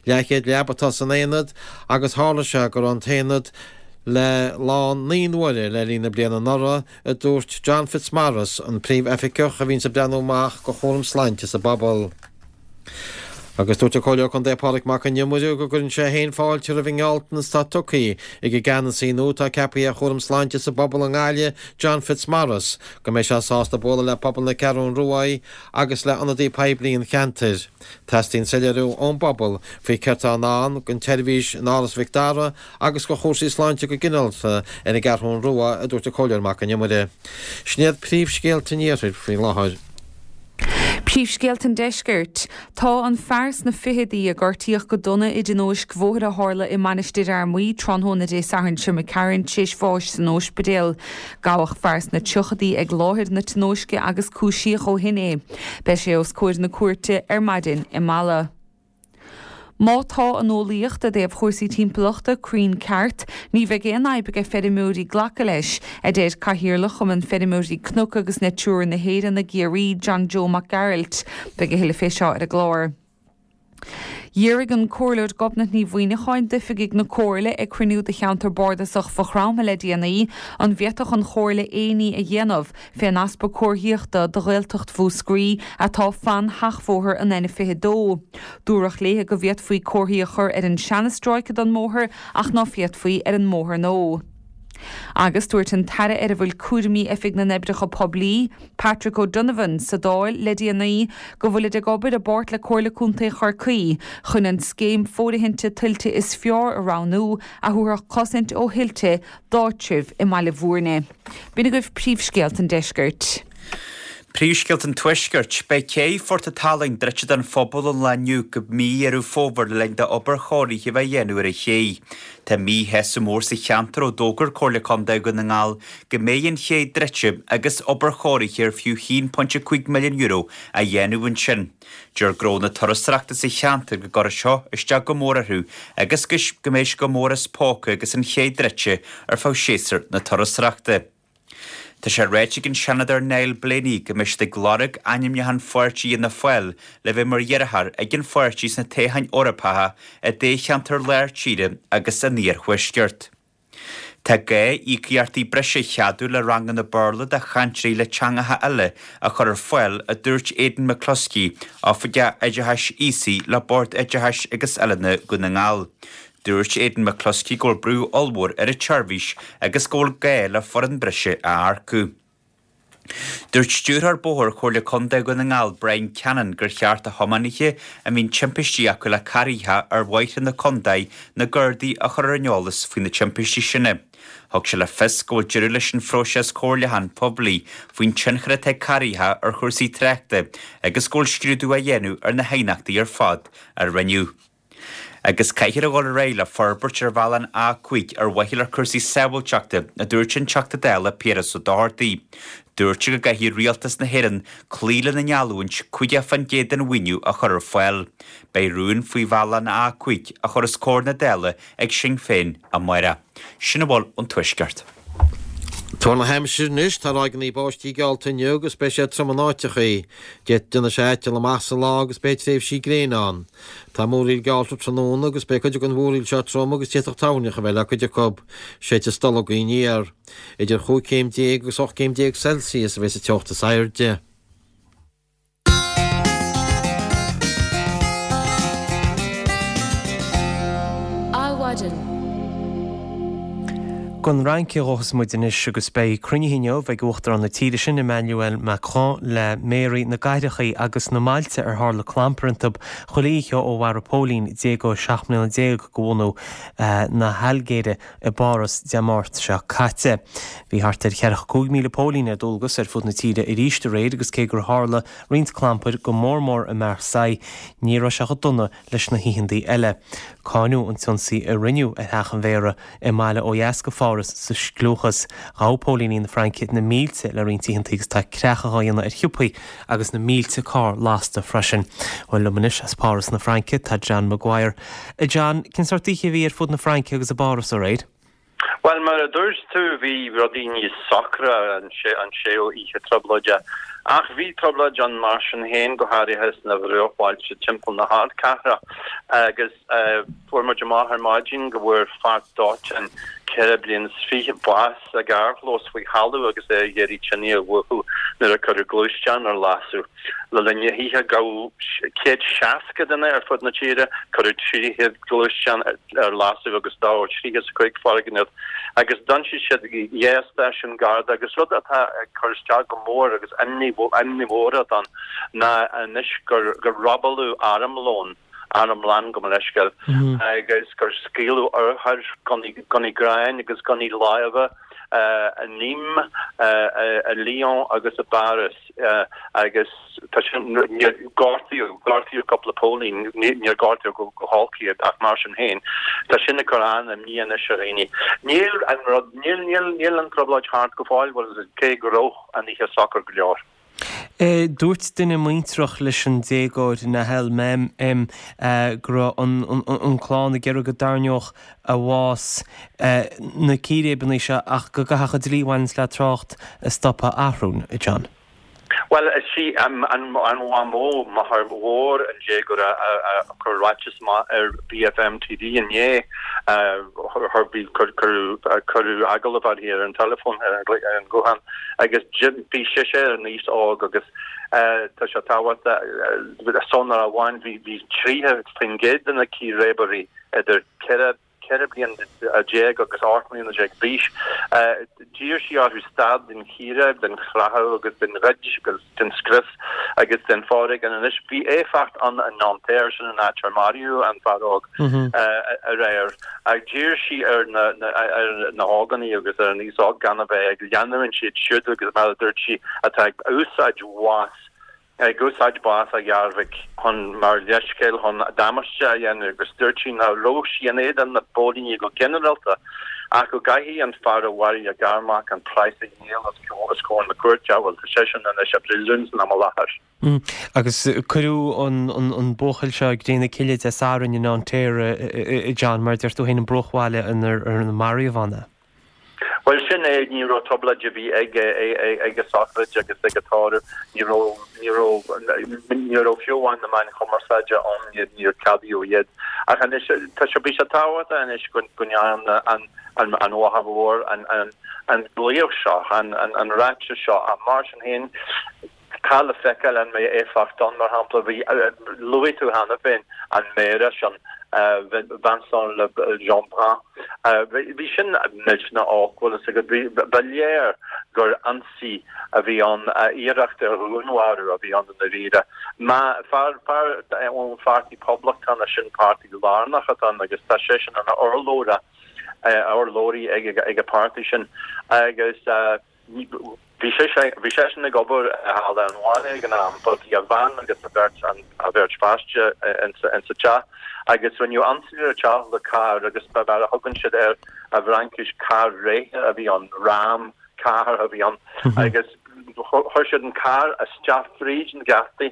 Leathchéad leaba atá san aonad agus tharla sé go raibh an t-aonad le lán 9 n-uaire le linn na bliana anuraidh, a dúirt John Fitzmaurice, an Príomh-Oifigeach a bhíonns ag breathnú amach do chúram sláinte sa bpobal. Agus dúirt an Comhairleoir Contae Pádraig Mac Con Iomaire go gcuireann sé féin fáilte roimh an ngealltanas atá tugtha ag an gceannasaí nua atá ceaptha ar chúram sláinte sa bpobal i nGaillimh, John Fitzmaurice, go mbeidh sé sásta bualadh le pobal na Ceathrún Ruaidh agus le ionadaí poiblí an cheantair. Teastaíonn soiléiriú ón bpobal faoi céard atá i ndán don tseirbhís in Áras Mhic Dara agus do chúrsaí sláinte go ginearálta ar an gCeathrún Rua, a dúirt an Comhairleoir Mac Con Iomaire. Sin iad príomhscéalta an iarthair faoi láthair. Príomhscéalta an Deiscirt. Tá an fear sna ficheadaí a gortaíodh go dona i dtionóisc bhóthair a tharla i Mainistir Fhear Maí tráthnóna Dé Sathairn seo imigh tharainn tar éis bháis san óispidéal. Gabhadh fear sna tríochadaí ag láthair na tionóisce agus cúisíodh ó shin é. Beidh sé os comhair na cúirte ar maidin i Mala. Má tá an eolaíocht i dtaobh chúrsaí timpeallachta cruinn ceart, ní bheidh aon fhadhb aige feirmeoirí glacadh leis, a deir Cathaoirleach Chumann Feirmeoirí Cnoc agus Natura na hÉireann i gCiarraí, John Joe Mac Gearailt. Beidh a thuilleadh fé seo ar an gclár. D'fhiafraigh an Comhairleoir Gobnait Ní Mhuineacháin d'oifigigh na Comhairle ag cruinniú de cheantar bardasach Mhaigh Chromtha le déanaí an bhféadfadh an Chomhairle aon ní a dhéanamh fén easpa comharthaíochta do Ghaeltacht Mhúscraí atá fan sheachbhóthar an N22. Dúradh léi go bhféadfaí comharthaí a chur ar an seanstráice don mbóthar ach ná féadfaí ar an mbóthar nua. Agus dúirt an tAire ar a bhfuil cúraimí Oifig na nOibreacha Poiblí, Patrick O'Donovan, sa Dáil le déanaí go bhfuilid ag obair i bpáirt le Comhairle Contae Chorcaí chun an scéim fóirithinte tuilte is fearr a roghnú a thabharfadh cosaint ó thuilte d'áitribh i mBaile Bhúirne. B'in agaibh príomhscéalta an deiscirt. Príomhscéalta an Tuaiscirt. Beidh cé Phort an tSalainn druidte don phobal ón lá inniu go mí Dheireadh Fómhair le linn d'obair chóirithe a bheith á dhéanamh ar an ché. Tá míshásamh mór sa cheantar ó d'fhógair Comhairle Contae Dhún na nGall go mbeidh an ché druidte agus obair chóirithe ar fiú €1.5 milliún á dhéanamh ansin. Deir gnónna turasóireachta sa cheantar go gcuirfidh seo isteach go mór orthu agus go mbeidh sé go mór as póca agus an ché druidte ar feadh séasúr na turasóireachta. Tá sé ráite ag an Seanadóir Niall Blaney go mbeidh siad ag lorg ainmniúchán pháirtí Fhianna Fáil le bheith mar iarrthóir ag an pháirtí sna toghcháin Eorpacha i dtoghcheantar Lár Tíre agus an Iarthuaiscirt. Tá gá íocaíochtaí breise a cheadú le ranganna Béarla do chainteoirí le teangacha eile a chur ar fáil, a dúirt Aidan McCluskey, Oifigeach Oideachais Aosaigh le Bord Oideachais agus Oiliúna Dhún na nGall. Dúirt Aidan McCluskey go bhfuil brú ollmhór ar an tseirbhís agus go bhfuil gá le foireann breise a earcú. Dúirt Stiúrthóir Bóthair Chomhairle Contae Dhún na nGall Brian Cannon gur cheart do thiománaithe a mbíonn timpistí acu le carraecha ar bhóithre na contae na Gardaí a chur ar an eolas faoi na timpistí sin. Thug sé le fios go bhfuil deireadh leis an phróiseas comhairliúcháin poiblí faoin tionchar atá ag carraecha ar chúrsaí tráchta agus go bhfuil scrúdú á dhéanamh ar na haighneachtaí ar fad a rinneadh. Agus caithfear a dhul ar aghaidh le forbairt ar bhealach an A5 ar mhaithe le cúrsaí sábháilteachta, a dúirt an Teachta Dála Piaras Ó Dochartaigh. Dúirt sé go gcaithfidh Rialtas na hÉireann cloí lena ngeallúint 50% den mhaoiniú a chur ar fáil. Beidh rún faoi bhealach an A5 a chur os comhair na Dála ag Sinn Féin amárach. Sin a bhfuil ón Tuaisceart. Tuar na haimsire anois, tá ráigeanna báistí geallta inniu agus beidh sé trom in áiteachaí. D'fhéadfadh déanfaidh sé aiteal amach sa lá agus beidh tréimhsí gréine ann. Tá múraíl geallta tráthnóna agus beidh cuid den mhúraíl seo trom agus d'fhéadfadh toirneach a bheith le cuid acu. Séidfidh stolgadh aniar. Idir chúig chéim déag agus 18 céim Celsius a bheidh sa teocht is airde. Adhmhaidin. Don Fhrainc a ghabhfas muid anois agus beidh cruinnithe inniu ag Uachtarán na tíre sin, Emmanuel Macron, le méaraí na gcathrachaí agus na mbailte ar tharla clampar iontu chuile oíche ó mharaigh póilín déagóir 17 mbliana de bhunadh na hAilgéire i bPáras Dé Máirt seo caite. Bhí thart ar 45,000 póilín ar dualgas ar fud na tíre arís aréir agus cé gur tharla roinnt clampair, go mór mór i Marseille, ní raibh sé chomh dona leis na hoícheantaí eile. Cáineadh an t-ionsaí a rinneadh ar theach an mhéara i mbaile ó dheas de Pháras sa scliúchas. Ghabh póilíní na Fraince na mílte le roinnt oícheantaí agus tá creachadh á dhéanamh ar shiopaí agus na mílte carr lasta freisin. Bhuel, liom anois as Páras na Fraince tá John Maguire. A John, cén sórt oíche a bhí ar fud na Fraince agus i bPáras aréir? Bhuel, mar a dúirt tú, bhí rudaí níos socra an séú oíche trioblóide. Ach bhí trioblóid ann mar sin féin, go háirithe sna bruachbhailte timpeall na hardchathrach. Agus fuair muid amach ar maidin go bhfuair fear dóiteáin 24 bliain bás sa gcarrchlós faoi thalamh agus é ag iarraidh tine a mhúchadh nuair a cuireadh gluaisteán ar lasadh. Le linn na hoíche gabhadh 160 duine ar fud na tíre, cuireadh 300 gluaisteán ar lasadh agus dódh 35 foirgneamh agus d'ionsaigh siad 2 stáisiún Garda agus rud atá ag cur isteach go mór agus imní mhór atá ann ná anois gur robáladh armlón armlann, gabh mo leithscéal, agus gur scaoileadh urchair, gunnaí gráin agus gunnaí láimhe i Nîmes, i Lyon agus i bPáras agus tá sin, níor gortaíodh, gortaíodh cúpla póilín, níor gortaíodh go holc iad ach mar sin féin, tá sin ag cur an-imní anois ar dhaoine. Níl an rud, níl, níl, níl an trioblóid thart go fóill, bhuel, cé go raibh an oíche socair go leor. Dúirt duine muintreach leis an déagóir, Nahel M, go raibh an clann ag iarraidh go dtarraingeodh a bhás na círéibeanna seo ach go gcaithfeadh an dlí a bhaineanns le trácht a stopadh a athrú, a John. Bhuel, is í an mhamó, máthair mhór an déagóra a chuir ráiteas amach ar BFM TV inné. Cuireadh agallamh uirthi ar an teileafón, ar an ghuthán. agus bhí sise ar an aos óg agus tá sé tábhachtach sonra amháin bhí bhí 30% de na círéibeoirí idir 14 14 bliain agus 18 mbliana d'aois. D'iarr sí orthu stad den chíréib, den chreathadh agus den ghoid agus den scrios agus den foréigean. Anois bhí éifeacht ann i Nanterre, sin an áit ar maraíodh an fear óg aréir. Ach d'iarr sí ar na ar na hógánaigh agus ar an aos óg gan a bheith ag leanúint iad siúd agus mar a dúirt sí atá ag úsáid bhás ag úsáid bás a gharmhic chun mar leithscéal chun damáiste a dhéanamh agus dúirt sí nach raibh sí in éadan na bpóilíní go ginearálta ach go gcaithfidh an fear a mharaigh a garmac an praghas a dhíol os comhair na cúirte. Bhuel tá seisean anois i bpríosún san am i láthair. Agus cuireadh an buachaill seo i gcré na cille Dé Sathairn i Nanterre, a John, mar a deir tú féin, an bruachbhaile inar maraíodh ann é. Bhuel, sin é, ní raibh trioblóid ar bith ag ag an sochraid agus ag an tórramh, ní raibh, ní raibh, ní raibh fiú amháin na meáin chumarsáide ann, níor ceadaíodh iad. Ach anois, tá sé, bhí sé tábhachtach anois go ndearna an, an mháthair mhór an, an, an glaoch seo, an, an ráiteas seo, ach mar sin féin, Tá le feiceáil an mbeidh éifeacht ann. Mar shampla, bhí, luaigh tú cheana féin an méara sin, Vincent Jeanbrun. Bhí sin millteanach olc, bhfuil fhios agat. Bhí, ba léir gur ionsaí a bhí ann, iarracht ar dhúnmharú a bhí ann i ndáiríre. Má, fear, fear ón pháirtí Poblachtánach, sin páirtí lárnach atá ann agus tá seisean ina urlabhra, urlabhraí ag ag an páirtí sin agus, Bhí bhí seisean ag obair i halla an bhaile ag an am, but bhí a bhean agus a bheirt a bheirt pháiste insa teach agus rinneadh ionsaí ar an teach le carr agus mar a thugann siad air i bhFraincis carr réidhe a bhí ann, ram car a bhí ann agus chuir siad an carr isteach fríd na geataí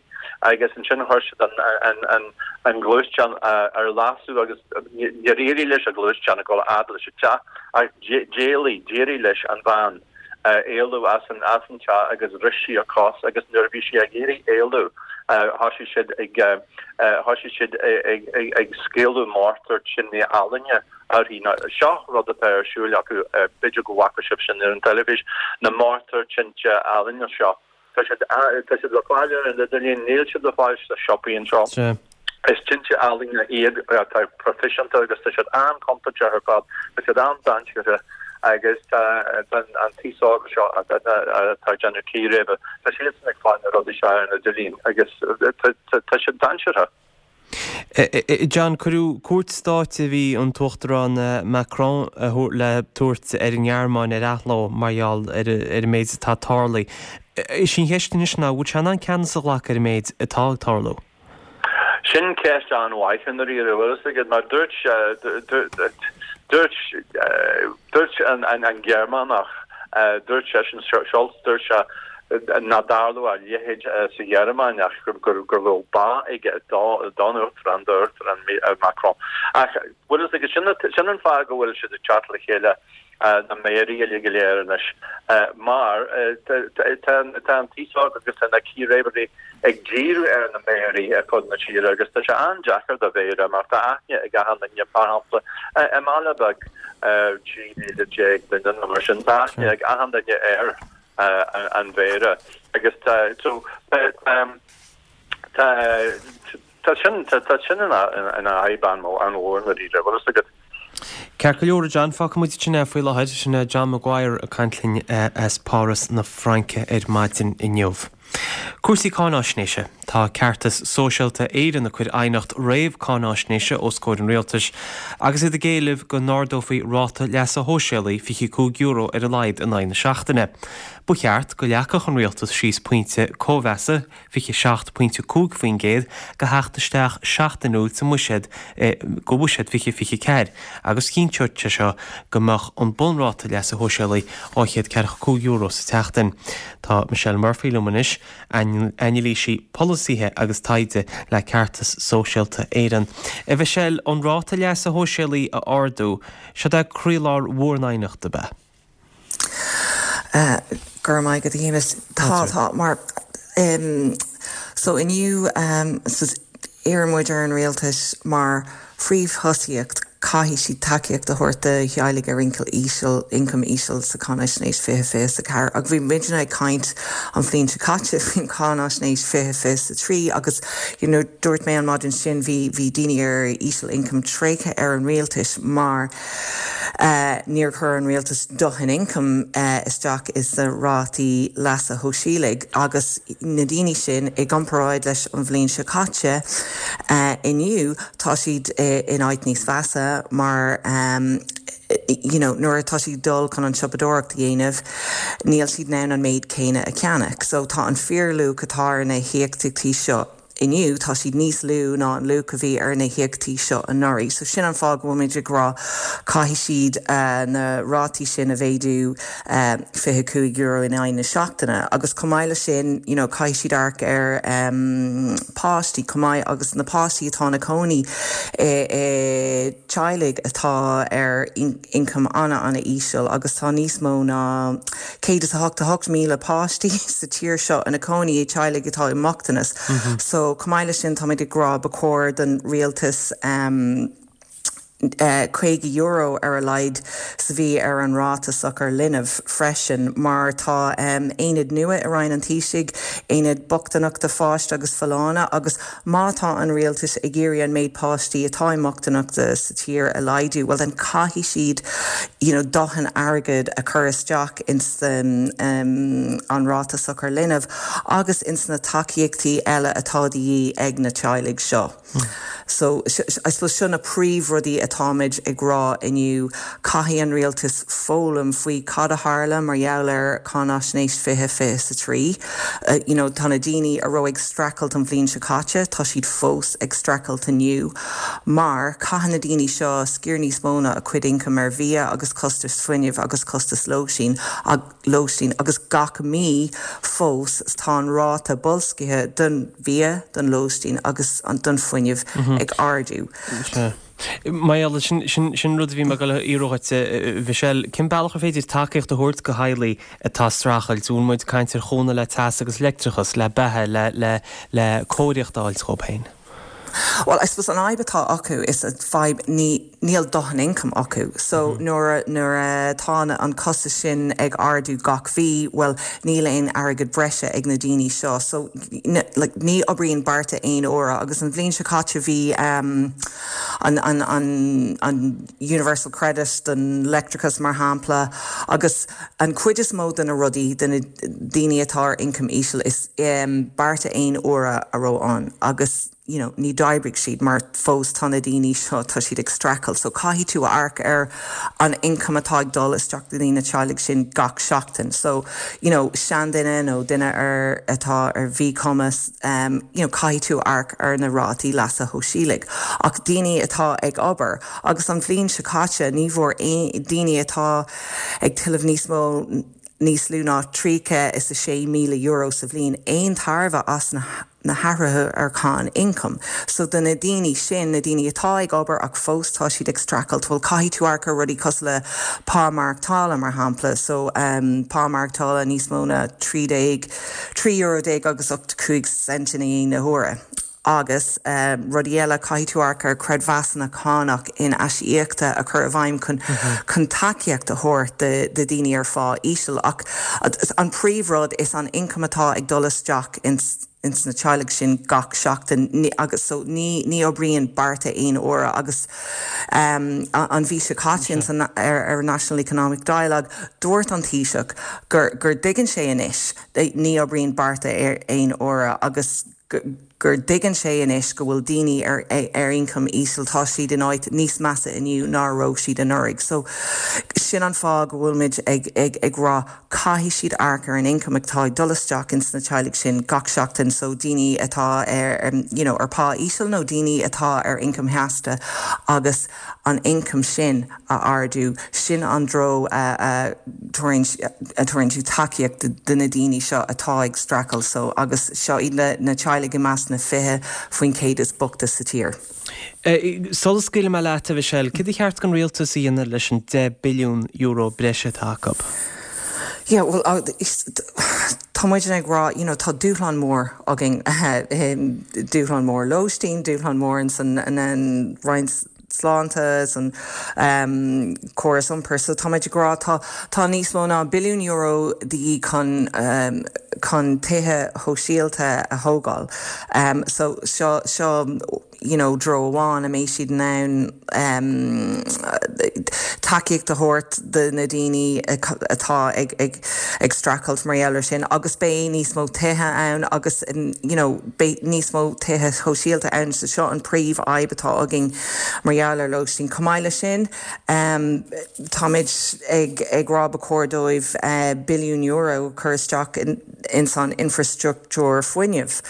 agus ansin chuir siad an an an an gluaisteán ar lasadh agus níor éirigh leis an gluaisteán a dhul a fhad leis an teach ach d'éalaigh, d'éirigh leis an bhean. Éalú as an as an teach agus bhris sí a cos agus nuair a bhí sí ag iarraidh éalú thoisigh siad ag thoisigh siad ag ag scaoileadh mórtar tine ealaíne uirthi. Now seo rud atá ar siúl acu, b'fhéidir go bhfaca sibh sin ar an teilifís, na mórtair tinte ealaíne seo. Tá siad tá siad le fáil ar an idirlíon, níl siad le fáil sna siopaí anseo. Is tinte ealaíne iad atá proifisiúnta agus tá siad an-chontúirteach ar fad, tá siad an-dainséartha agus tá an t-aos óg seo atá ag déanamh círéibe, tá siadsan ag fáil na rudaí seo ar an idirlíon agus tá siad dainséartha. John, Cuireadh cuairt stáit a bhí an tUachtarán Macron le tabhairt ar an nGearmáin ar athló mar gheall ar an méid atá tarlaithe. Is í an cheist anois ná, an bhfuil sé in ann ceannas a ghlacadh ar an méid atá ag tarlú? Sin ceist an-mhaith i ndáiríre, bhfuil fhios agat, mar dúirt, dúirt, dúirt an Gearmánach, dúirt seisean, Scholz, dúirt sé, nach dtarlódh a leithéid sa Ghearmáin ach go raibh bá aige don Uachtarán, d'Uachtarán Macron. Ach bhfuil fhios agat, sin an fáth go bhfuil siad ag teacht le chéile, na méaraí uilig go léir anois, mar tá an t-aos óg agus tá na círéibeoirí ag díriú ar na méaraí ar fud na tíre agus tá sé an-deacair do mhéara mar tá aithne ag achan duine, mar shampla, i mbaile beag 13,000 duine nó mar sin, tá aithne ag achan duine ar an mhéara agus tá so tá tá sin tá sin ina ina fhadhb an-mhór i ndáiríre, bhfuil fhios agat. Ceart go leor, a John, fágfaidh muid ansin é faoi láthair. Sin é John Maguire ag caint linn as Páras na Fraince ar maidin inniu. Cúrsaí cáináisnéise. Tá Ceartas Sóisialta Éireann ag cur aighneacht réamh-cáináisnéise os comhair an Rialtais agus iad ag éileamh go n-ardófaí ráta leasa shóisialaigh €25 ar a laghad in aghaidh na seachtaine. Ba cheart go leagfadh an Rialtas síos pointe cóimheasa, 27.5%, do theacht isteach seachtainiúil sa mbuiséad do bhuiséad 2024 agus chinnteodh sé seo go mbeadh an bunráta leasa shóisialaigh €245 sa tseachtain. Tá Michelle Murphy liom anois, anailísí polasaithe agus taighde le Ceartas Sóisialta Éireann. A Mhichelle, an ráta leasa shóisialaigh a ardú, seod é croílár bhur n-aighneachta, ab ea? Go raibh maith agat a Shéamais. Tá, tá, mar so inniu iarrann muid ar an rialtas mar phríomhthosaíocht caithfidh siad tacaíocht a thabhairt do theaghlaigh ar ioncam íseal, ioncam íseal sa Cháinaisnéis 2024. Agus bhí muidne ag caint an bhliain seo caite faoin Cháinaisnéis 2023 agus you know dúirt mé an maidin sin bhí bhí daoine ar íseal ioncam tréigthe ar an rialtas mar Níor chuir an rialtas dóthain ioncaim isteach sna rátaí leasa shóisialaigh agus na daoine sin, i gcomparáid leis an bhliain seo caite, inniu tá siad in áit níos mheasa mar you know nuair atá siad ag dul chun an tsiopadóireacht a dhéanamh níl siad in ann an méid céanna a cheannach. So tá an fíorluach atá ar na híocaíochtaí seo. inniu, tá siad níos lú ná an luach a bhí ar na híocaíochtaí seo anuraidh. So sin an fáth go bhfuilimid ag rá caithfidh siad na rátaí sin a mhéadú €25 in aghaidh na seachtaine. Agus chomh maith leis sin, you know, caithfidh siad amharc ar páistí chomh maith agus na páistí atá ina cónaí i teaghlaigh atá ar ioncam ana-ana-íseal agus tá níos mó ná 188,000 páistí sa tír seo ina cónaí i teaghlaigh atá i mbochtanas. So, chomh maith leis sin, táimid ag rá ba chóir don rialtas €50 ar a laghad sa mhí ar an ráta sochar linbh freisin mar tá aonad nua i Roinn an Taoisigh, aonad bochtaineachta pháiste agus folláine agus Má tá an rialtas ag iarraidh an méid páistí atá i mbochtaineachta sa tír a laghdú, well then caithfidh siad you know dóthain airgead a chur isteach ins an ráta sochar linbh agus ins na tacaíochtaí eile atá de dhíth ag na teaghlaigh seo. So I suppose seo na príomhrudaí atáimid ag rá inniu. Caithfidh an rialtas foghlaim faoi cad a tharla mar gheall ar Cáinaisnéis 2023. You know, tá na daoine a raibh ag streachailt an bhliain seo caite, tá siad fós ag streachailt inniu mar caitheann na daoine seo sciar níos mó ná a cuid ioncaim ar bhia agus costais fuinnimh agus costais lóistín lóistín agus gach mí fós tá an ráta boilscithe don bhia, don lóistín agus don fuinneamh ag ardú. Mar gheall, sin sin rud a bhí mé ag dul a fhiafraí dhuit, a Mhichelle, cén bealach ar féidir tacaíocht a thabhairt do theaghlaigh atá ag streachailt? Bhfuil muid ag caint ar chúnamh le teas agus leictreachas, le beatha, le le le cóiríocht a fháilt dhóibh féin? Bhuel, I suppose an fhadhb atá acu is an fadhb ní níl dóthain income acu. So nuair nuair atá an costas sin ag ardú gach mhí, bhuel níl aon airgead breise ag na daoine seo. So like ní oibríonn bearta aon uaire agus an bhliain seo caite bhí an an an an Universal Credit don leictreachas mar shampla agus an cuid is mó de na rudaí do na daoine atá ar ioncam íseal is bearta aon uaire a raibh ann agus you know ní d'oibrigh siad mar fós tá na daoine seo tá siad ag streachailt so caithfidh tú amharc ar an ioncam atá ag dul isteach do na teaghlaigh sin gach seachtain so you know seanduine nó duine ar atá ar mhíchumas um you know caithfidh tú amharc ar na rátaí leasa shóisialaigh ach daoine atá ag obair agus an bhliain seo caite ní bhfuair aon daoine atá ag tuilleamh níos mó níos lú ná €36,000 sa bhliain aon tairbhe as na na hathruithe ar cháin ioncaim. So do na daoine sin, na daoine atá ag obair ach fós tá siad ag streachailt, bhuel caithfidh tú amharc ar rudaí cosúil le pá maireachtála mar shampla. So pá maireachtála níos mó ná 13, €13 déag agus 85 cent in aghaidh na huaire. Agus rudaí eile, caithfidh tú amharc ar creidmheasanna cánach in-aisíochta a chur i bhfeidhm chun chun tacaíocht a thabhairt do dhaoine ar phá íseal. Ach an príomhrud is an ioncam atá ag dul isteach ins ins na teaghlaigh sin gach seachtain agus so ní ní oibríonn bearta aon uaire agus an mhí seo caite ins an ar ar National Economic Dialogue dúirt an Taoiseach gur gur dtuigeann sé anois ní oibríonn bearta aon uaire agus gur dtuigeann sé anois go bhfuil daoine ar ar ioncam íseal, tá siad in áit níos measa inniu ná a raibh siad anuraidh. So, sin an fáth go bhfuil muid ag ag ag rá caithfidh siad amharc ar an ioncam atá ag dul isteach ins na teaghlaigh sin gach seachtain, so daoine atá ar you know ar pá íseal nó daoine atá ar ioncam sheasta agus an ioncam sin a ardú. Sin an treo a thabharann tú tacaíocht do na daoine seo atá ag streachailt so agus seo iad na teaghlaigh i measc na 20% is boichte sa tír. Sula scaoilfidh mé leat, a Mhichelle, céard ba cheart don rialtas a dhéanamh leis an €10 billiún breise atá acu? Yeah, well, tá muidne ag rá, you know, tá dúshlán mór againn, dúshlán mór lóistín, dúshlán mór in san Roinn Sláinte, san córas iompair. So tá muid ag rá tá tá níos mó ná billiún euro de dhíth chun chun tithe shóisialta a thógáil. So seo seo you know treo amháin a mbeidh siad in ann tacaíocht a thabhairt do na daoine atá ag ag ag streachailt mar gheall ar sin agus beidh níos mó tithe ann agus you know beidh níos mó tithe shóisialta ann so seo an príomh-fhadhb atá againn mar gheall ar lóistín. Chomh maith leis sin, táimid ag ag rá ba chóir dóibh billiún euro a chur isteach ins an infreastruchtúr fuinnimh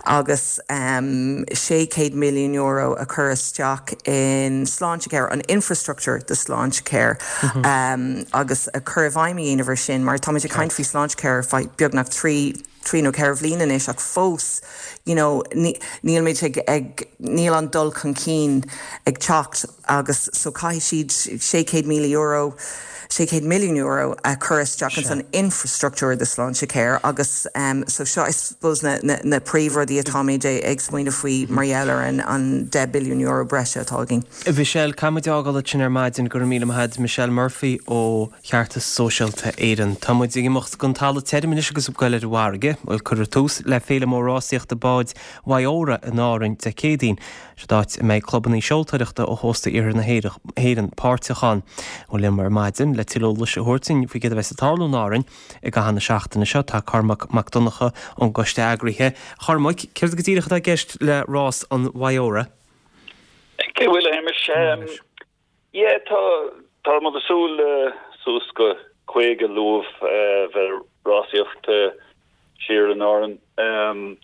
agus €600 milliún a chur isteach in Sláintecare, an infreastruchtúr do Sláintecare agus cur i bhfeidhm a dhéanamh ar sin mar táimid ag caint faoi Sláintecare ar feadh beagnach 3 trí nó 4 bhliain anois ach fós you know níl muid ag ag níl an dul chun cinn ag teacht agus so caithfidh siad €600,000 €600 milliún a chur isteach ins an infreastruchtúr de Sláintecare agus so seo I suppose na na na príomhrudaí atáimid ag smaoineamh faoi mar gheall ar an an €10 billiún breise atá againn. Michelle, caithfidh muid fhágáil ansin ar maidin, go raibh míle maith agat, Michelle Murphy ó Cheartas Sóisialta Éireann. Tá muid ag imeacht don talamh tirim anois agus ag goil ar an bhfarraige. Bhuel, cuirfear tús le Féile Mór Rásaíochta Báid Mhaigh Óra in Árainn Dé Céadaoin. Siod áit a mbeidh clubanna seoltóireachta ó chósta iarthar na hÉireann páirteach ann. Bhuel, liom ar maidin le tuilleadh eolais a thabhairt dúinn faoi céard a bheas ag tarlú in Árainn i gcaitheamh na seachtaine seo tá Cormac Mac Donncha ón gcoiste eagraithe. A Chormaic, céard go díreach atá i gceist le Rás an Mhaigh Óra? Cé bhfuil a Shéamais? Yeah, tá tá muid ag súil le suas go 50 luamh bheith ag rásaíocht siar in Árainn.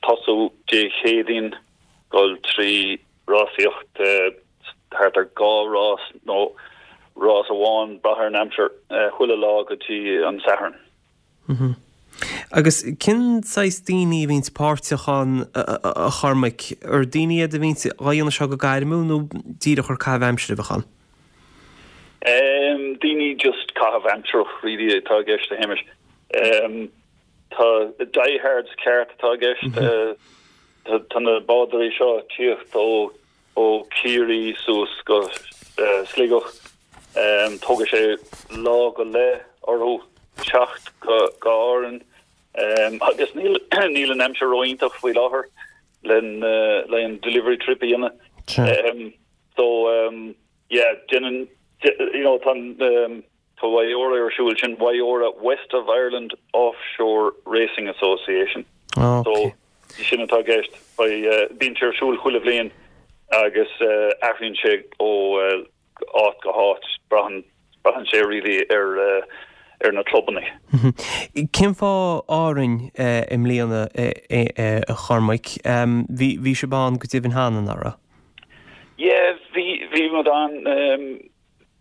Tosú Dé Céadaoin, dul trí rásaíocht thart ar dhá rás nó rás amháin, brath ar an aimsir, chuile lá go dtí an Satharn. Agus cén saghas daoine a bhíonns páirteach ann, a Chormaic? Ar daoine iad a bhíonns á dhéanamh seo go gairmiúil nó díreach ar caitheamh aimsire a bheadh ann? Daoine just caitheamh aimsireach really atá i gceist, a Shéamais. Tá diehards ceart atá i gceist. Tá na bádóirí seo ag tíocht ó ó Chiarraí suas go Sligeach. Tógfaidh sé lá go leith orthu teacht go Árainn agus níl níl an aimsir ró-iontach faoi láthair len le an delivery trip a dhéanamh. So yeah, déanann you know tá an Tá WIORA ar siúl, sin WIORA, West of Ireland Offshore Racing Association. So, sin atá i gceist. Bíonn sé ar siúl chuile bhliain agus athraíonn sé ó áit go háit. Braitheann, braitheann sé really ar, ar na clubanna. Cén fáth Árainn i mbliana, a Chormaic? Bhí, bhí sibh ann go deimhin cheana, nach raibh? Yeah, bhí, bhí muid ann.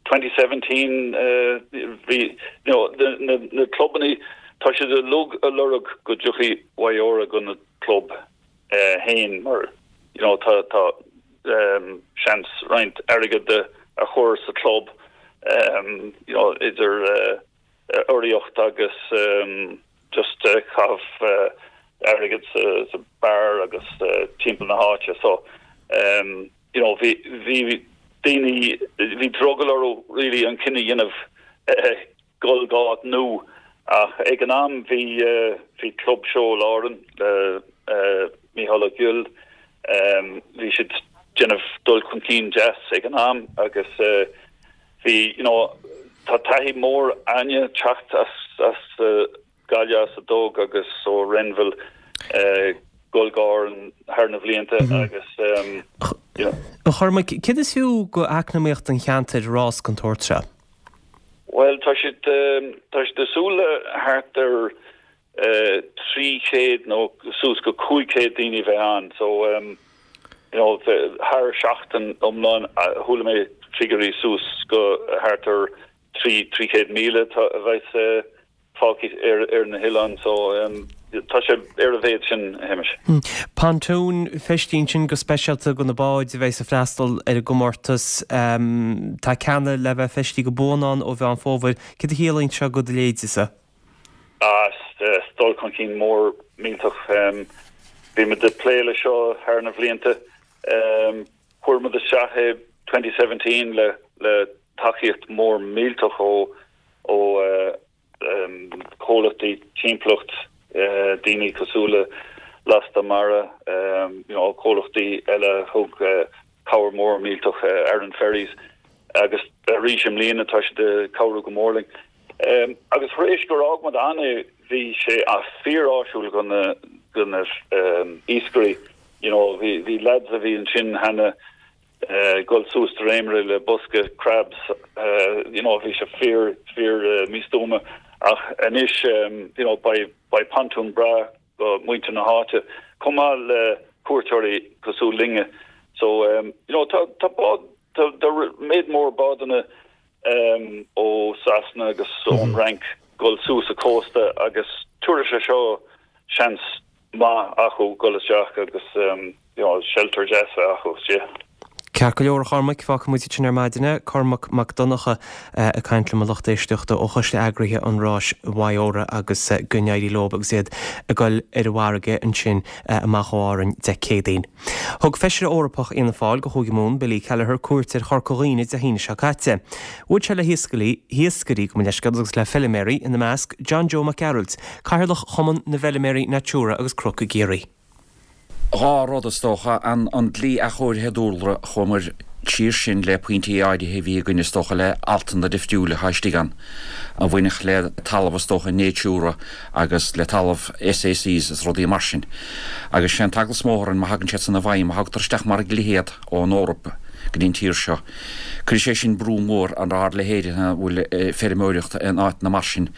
2017 bhí you know na na clubannaí tá siad uilig ag lorg go dtiocfaidh WIORA go na club féin mar you know tá tá seans roinnt airgead a chur sa club you know idir urraíocht agus just caitheamh airgead sa beár agus timpeall na háite so you know bhí bhí daoine bhí drogall orthu really an cinneadh a dhéanamh dul go áit nua ach ag an am bhí bhí Club Seoil Árann le Mícheál Ó Goill bhí siad déanamh dul chun cinn deas ag an am agus Bhí, you know, tá taithí mór a'inne teacht as, as Gaillimh, as an dTóg agus ó Renville, dul go Árainn thar na bhlianta agus, you know. A Chormaic, céard is fiú go eacnamaíocht an cheantair rás den tsórt seo? Bhuel, tá siad, tá siad ag súil le thart ar 300 nó suas go 500 daoine a bheith ann so you know thar seachtain iomlán chuala mé figiúirí suas go thart ar 300,000 a bheas fágtha ar ar na hoileáin so tá sé ar a mhéad sin a Shéamais. Pontúin feistithe ansin go speisialta do na báid a bheas ag freastal ar an gcomórtas. Tá ceanna le bheith feistithe go buan ann ó Mheán Fómhair. Céard a chiallaíonn seo do do leithéidese? Is dul chun cinn mór millteach. Bhí muid ag plé le seo thar na bhlianta. Chuir muid isteach é 2017 le le tacaíocht mór millteach ó ó chomhlachtaí timpeallacht, daoine cosúil le Lasta Mara, you know comhlachtaí eile a thug cabhair mór millteach, Aran Ferries agus arís i mbliana tá siad ag cabhrú go mór linn. Agus tar éis gur fhág muid ann é, bhí sé fíor-áisiúil do na, do na iascairí. You know, bhí, bhí lads a bhí ansin cheana ag dul suas dréimire le bosca crabs, you know, bhí sé fíor, fíor místuama. Ach anois, you know, beidh, beidh pontún breá do mhuintir na háite, chomh maith le cuairteoirí cosúil linne. So, you know, tá, tá bád, tá, tá méid mór bádanna ó Sasana agus ón Fhrainc dul suas an cósta agus tabharfaidh sé seo seans maith acu dul isteach agus you know shelter deas a bheith acu istigh. Ceart go leor a Chormaic, fágfaidh muid ansin ar maidin é. Cormac Mac Donncha ag caint liom a lucht éisteachta ó choiste eagraithe an ráis WIORA agus go n-éirí leo agus iad ag dul ar an bhfarraige ansin amach ó Árainn Dé Céadaoin. Thug Feisire Eorpach Fhianna Fáil do Chúige Mumhan, Billy Kelleher, cuairt ar Chorca Dhuibhne Dé hAoine seo caite. Bhuail sé le hiascairí, hiascairí, gabh mo leithscéal, agus le feiliméaraí, ina measc, John Joe Mac Gearailt, Cathaoirleach Chumann na bhFeiliméaraí Natura agus Cnoc i gCiarraí. 2 rud, is dócha, an dlí athchóirithe dúlra, chuamar siar sin le pointí áirithe a bhí againn, is dócha, le altanna difriúla atá istigh ann, a bhainfeadh le talamh, is dócha, Natura agus le talamh SACs is rudaí mar sin. Agus sé an t-eagla is mó orainn má thagann siad san i bhfeidhm, má thugtar isteach mar dhlíthe iad ón Eoraip go dtí an tír seo, cuirfidh sé sin brú mór ar ár leithéid a bhfuil ag feirmeoireacht in áiteanna mar sin.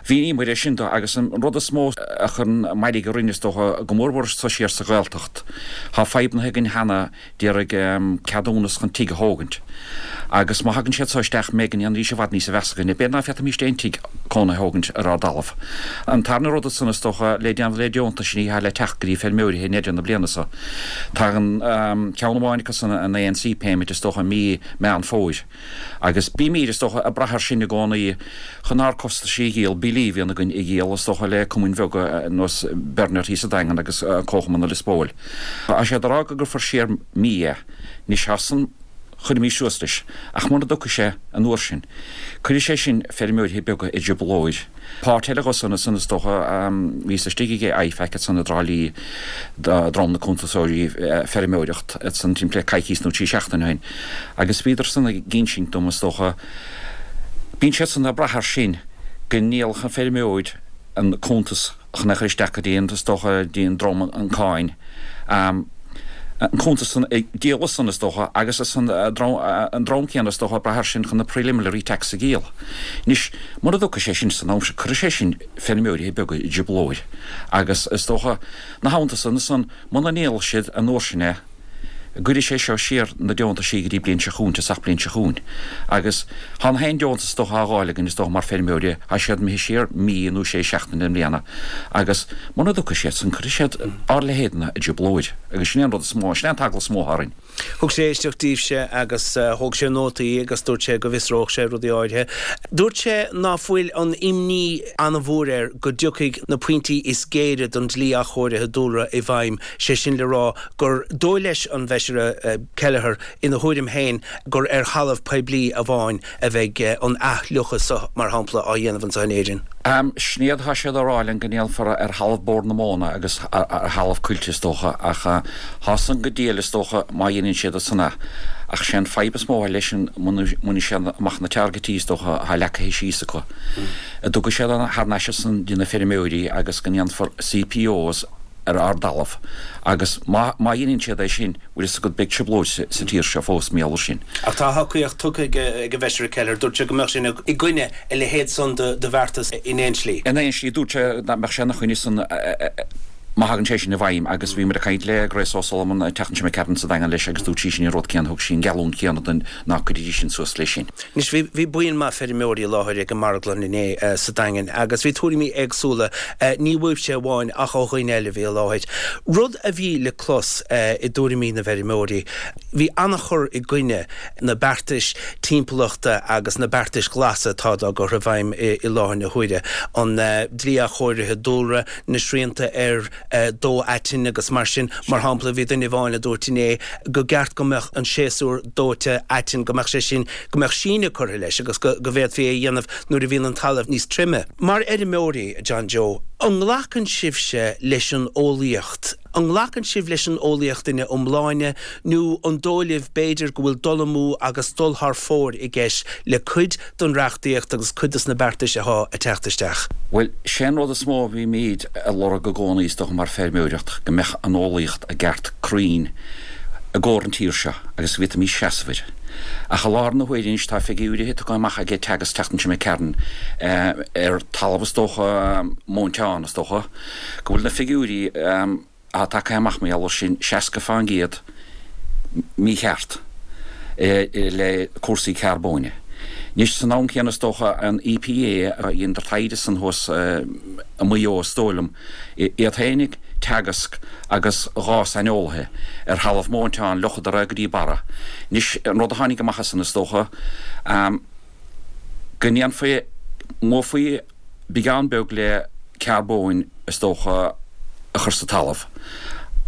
Mhíníomar é sin dó agus an rud is mó a chuireann mairg orainn is dócha, go mórmhór anso siar sa Ghaeltacht, tá fadhbanna againn cheana d'iarraidh ceadúnas chun tigh a thógaint. Agus má thagann siad so isteach, an mbeidh go ndéanfaidís i bhfad níosa mheasa againne. B'fhéidir ná féadfaimíst aon tigh cónaithe a thógaint ar ár dtalamh. An tarna rud ansan is dócha le déanamh le deontaisí atá le teacht go dtí feirmeoirithe i ndeireadh na bliana so. Tagann ceann amháin acu san, an ANC payment, is dócha i mí Meán Fómhair. Agus bímíd, is dócha, ag brath air sin i gcónaí chun ár costaisí a dhíol, billí a bhíonn againn a dhíol, is dócha, le cumainn bheaga ar nós Bernard thíos sa Daingean agus Comharchumann Lios Póil. Tá siad ag rá go gcuirfear siar mí é. Anois tá san, chuirfimís suas leis. Ach muna dtiocfaidh sé an uair sin, cuirfidh sé sin feirmeoirithe beaga i dtrioblóid. Páirt eile dho san ansan is dócha, bhíos istigh ag IFAC ansan i dTrá Lí dream na cuntasóirí feirmeoireacht ansan timpeall le coicíos nó 3 seachtaine ó shin agus bhíodar san ag insint dom is dócha, bíonn siad san ag brath air sin go ndíolfadh an feirmeoir an cuntas chun é a chur isteach go dtí an, is dócha, dtí an dream an cáin, an cuntas san a dhíol san, is dócha, agus is an dream céanna, is dócha, ag brath air sin chun na preliminary tax a dhíol. Anois, mura dtiocfaidh sé sin san am sin, cuirfidh sé sin feirmeoirithe beaga i dtrioblóid agus, is dócha, 'na theannta san, san, Muna ndíolfaidh siad an uair sin é, cuirfidh sé seo siar na deontaisí go dtí bliain seo chugainn, tosach bliain seo chugainn. Agus tá na haon deontas is dócha á dh'fháil againn is dócha mar feirmeoirí, tá siad imithe siar mí nó sé seachtaine i mbliana. Agus muna dtiocfaidh siad san, cuirfidh siad ár leithéidne i dtrioblóid. Agus sin é an rud is mó, sin é an t-eagla is mó atá orainn. Thug sé éisteacht daoibhse agus thóg sé nótaí agus dúirt sé go bhfiosródh sé rudaí áirithe. Dúirt sé ná fuil an imní an-mhór air go dtiocfaidh na pointí is géire den dlí athchóirithe dúlra i bhfeidhm, sé sin le rá gur dóigh leis an bhFeisire Kelleher ina thuairim féin gur ar thalamh poiblí amháin a bheidh an athfhliuchadh seo, mar shampla, á dhéanamh anseo in Éirinn. Sin iad, tá siad á rá linn go ndéanfar ar thalamh Bord na Móna agus ar thalamh coillte is dócha, ach tá san go diail is dócha má dheineann siad san é. Ach sé an fadhb is mó atá leis sin muna mbainfidh siad amach na targaití is dócha atá leagtha síos acu, a dtiocfaidh siad thar n-ais ansan dtí na feirmeoirí agus go ndéanfar CPOs ar ár dtalamh agus má dheineann siad é sin, Bhfuil fhios agat, beidh trioblóid sa tír seo fós mar gheall air sin. Ach tá a thacaíocht tugtha ag an bhFeisire Kelleher. Dúirt sé go mbeadh sé i gcoinne a leithéid san de bheartas in aon slí. In aon slí, dúirt sé nach mbeadh sé ina choinne san má thagann sé sin i bhfeidhm agus bhí muid ag caint le Grace O'Sullivan an tseachtain seo imigh tharainn sa Daingean leis agus dúirt sí sin an rud céanna, thug sí an gheallúint chéanna dúinn ná cuirfidís sin suas leis sin. Anois, bhí, bhí buíon maith feirmeoirí i láthair ag an marglann inné sa Daingean agus bhí tuairimí éagsúla, ní uaibhse amháin ach ó dhaoine eile a bhí i láthair. Rud a bhí le clos i dtuairimí na bhfeirmeoirí, bhí an-chur i gcoinne na beartais timpeallachta agus na beartais ghlasa atá dá gcur i bhfeidhm i láthair na huaire, an dlí athchóirithe dúlra, na srianta ar dó aitinn agus mar sin. Mar shampla, bhí duine amháin a dúirt inné go gceart go mbeadh an séasúr dóite aitinn, go mbeadh sé sin, go mbeadh síneadh curtha leis agus go bhféadfaí é a dhéanamh nuair a bhíonn an talamh níos troime. Mar fheirmeoirí, a John Joe, an nglacann sibhse leis an eolaíocht? An nglacann sibh leis an eolaíocht ina iomláine nó an dóigh libh b'fhéidir go bhfuil dul amú agus dul thar fóir i gceist le cuid den reachtaíocht agus cuid des na beartais athá ag teacht isteach. Bhuel, sé an rud is mó a bhímíd ag lorg i gcónaí is dócha mar feirmeoireacht, go mbeadh an eolaíocht i gceart cruinn i gcomhair an tír seo agus go bhféadfaimís seasamh air. Ach i láthair na huaire anois tá figiúirithe tugtha amach aige Teagasc tseachtain seo imigh tharainn ar talamh is dócha, móinteán is dócha, go bhfuil na figiúirí, atá tagtha amach mar gheall air sin, 60% mícheart le cúrsaí carbóin. Anois, san am céanna is dócha, an EPA a dhéantar taighde san thuas i Maigh Eo is dóigh liom, iad féinig, Teagasc agus 2 saineolaithe ar thalamh móinteán, fhliuchadar é go dtí barra. Anois, an rud a tháinig amach as san is dócha, go ndéanfaí, mbuafaí, beagán beag le carbóin is dócha a chur sa talamh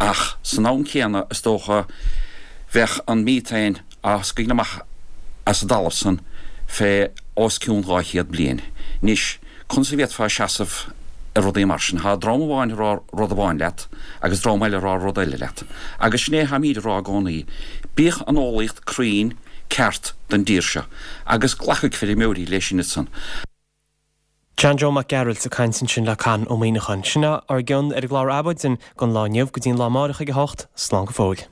ach san am céanna is dócha bheadh an methane á scaoileadh amach as an dtalamh san fé os cionn 200 bliain. Anois, conas a bhféadfá seasamh ar rudaí mar sin? Tá dream amháin ag rá rud amháin leat agus dream eile ag rá rud eile leat. Agus sin é atáimíd ag rá i gcónaí, bíodh an eolaíocht cruinn ceart don dtír seo agus glacfaidh feirmeoirí leis sin ansan. John Joe Mac Gearailt ag caint ansin le Conn Ó Muíneacháin. Sin ár gcion ar an gclár Adhmhaidin don lá inniu. Go dtí an lá amáireach ag a h-ocht, slán go fóill.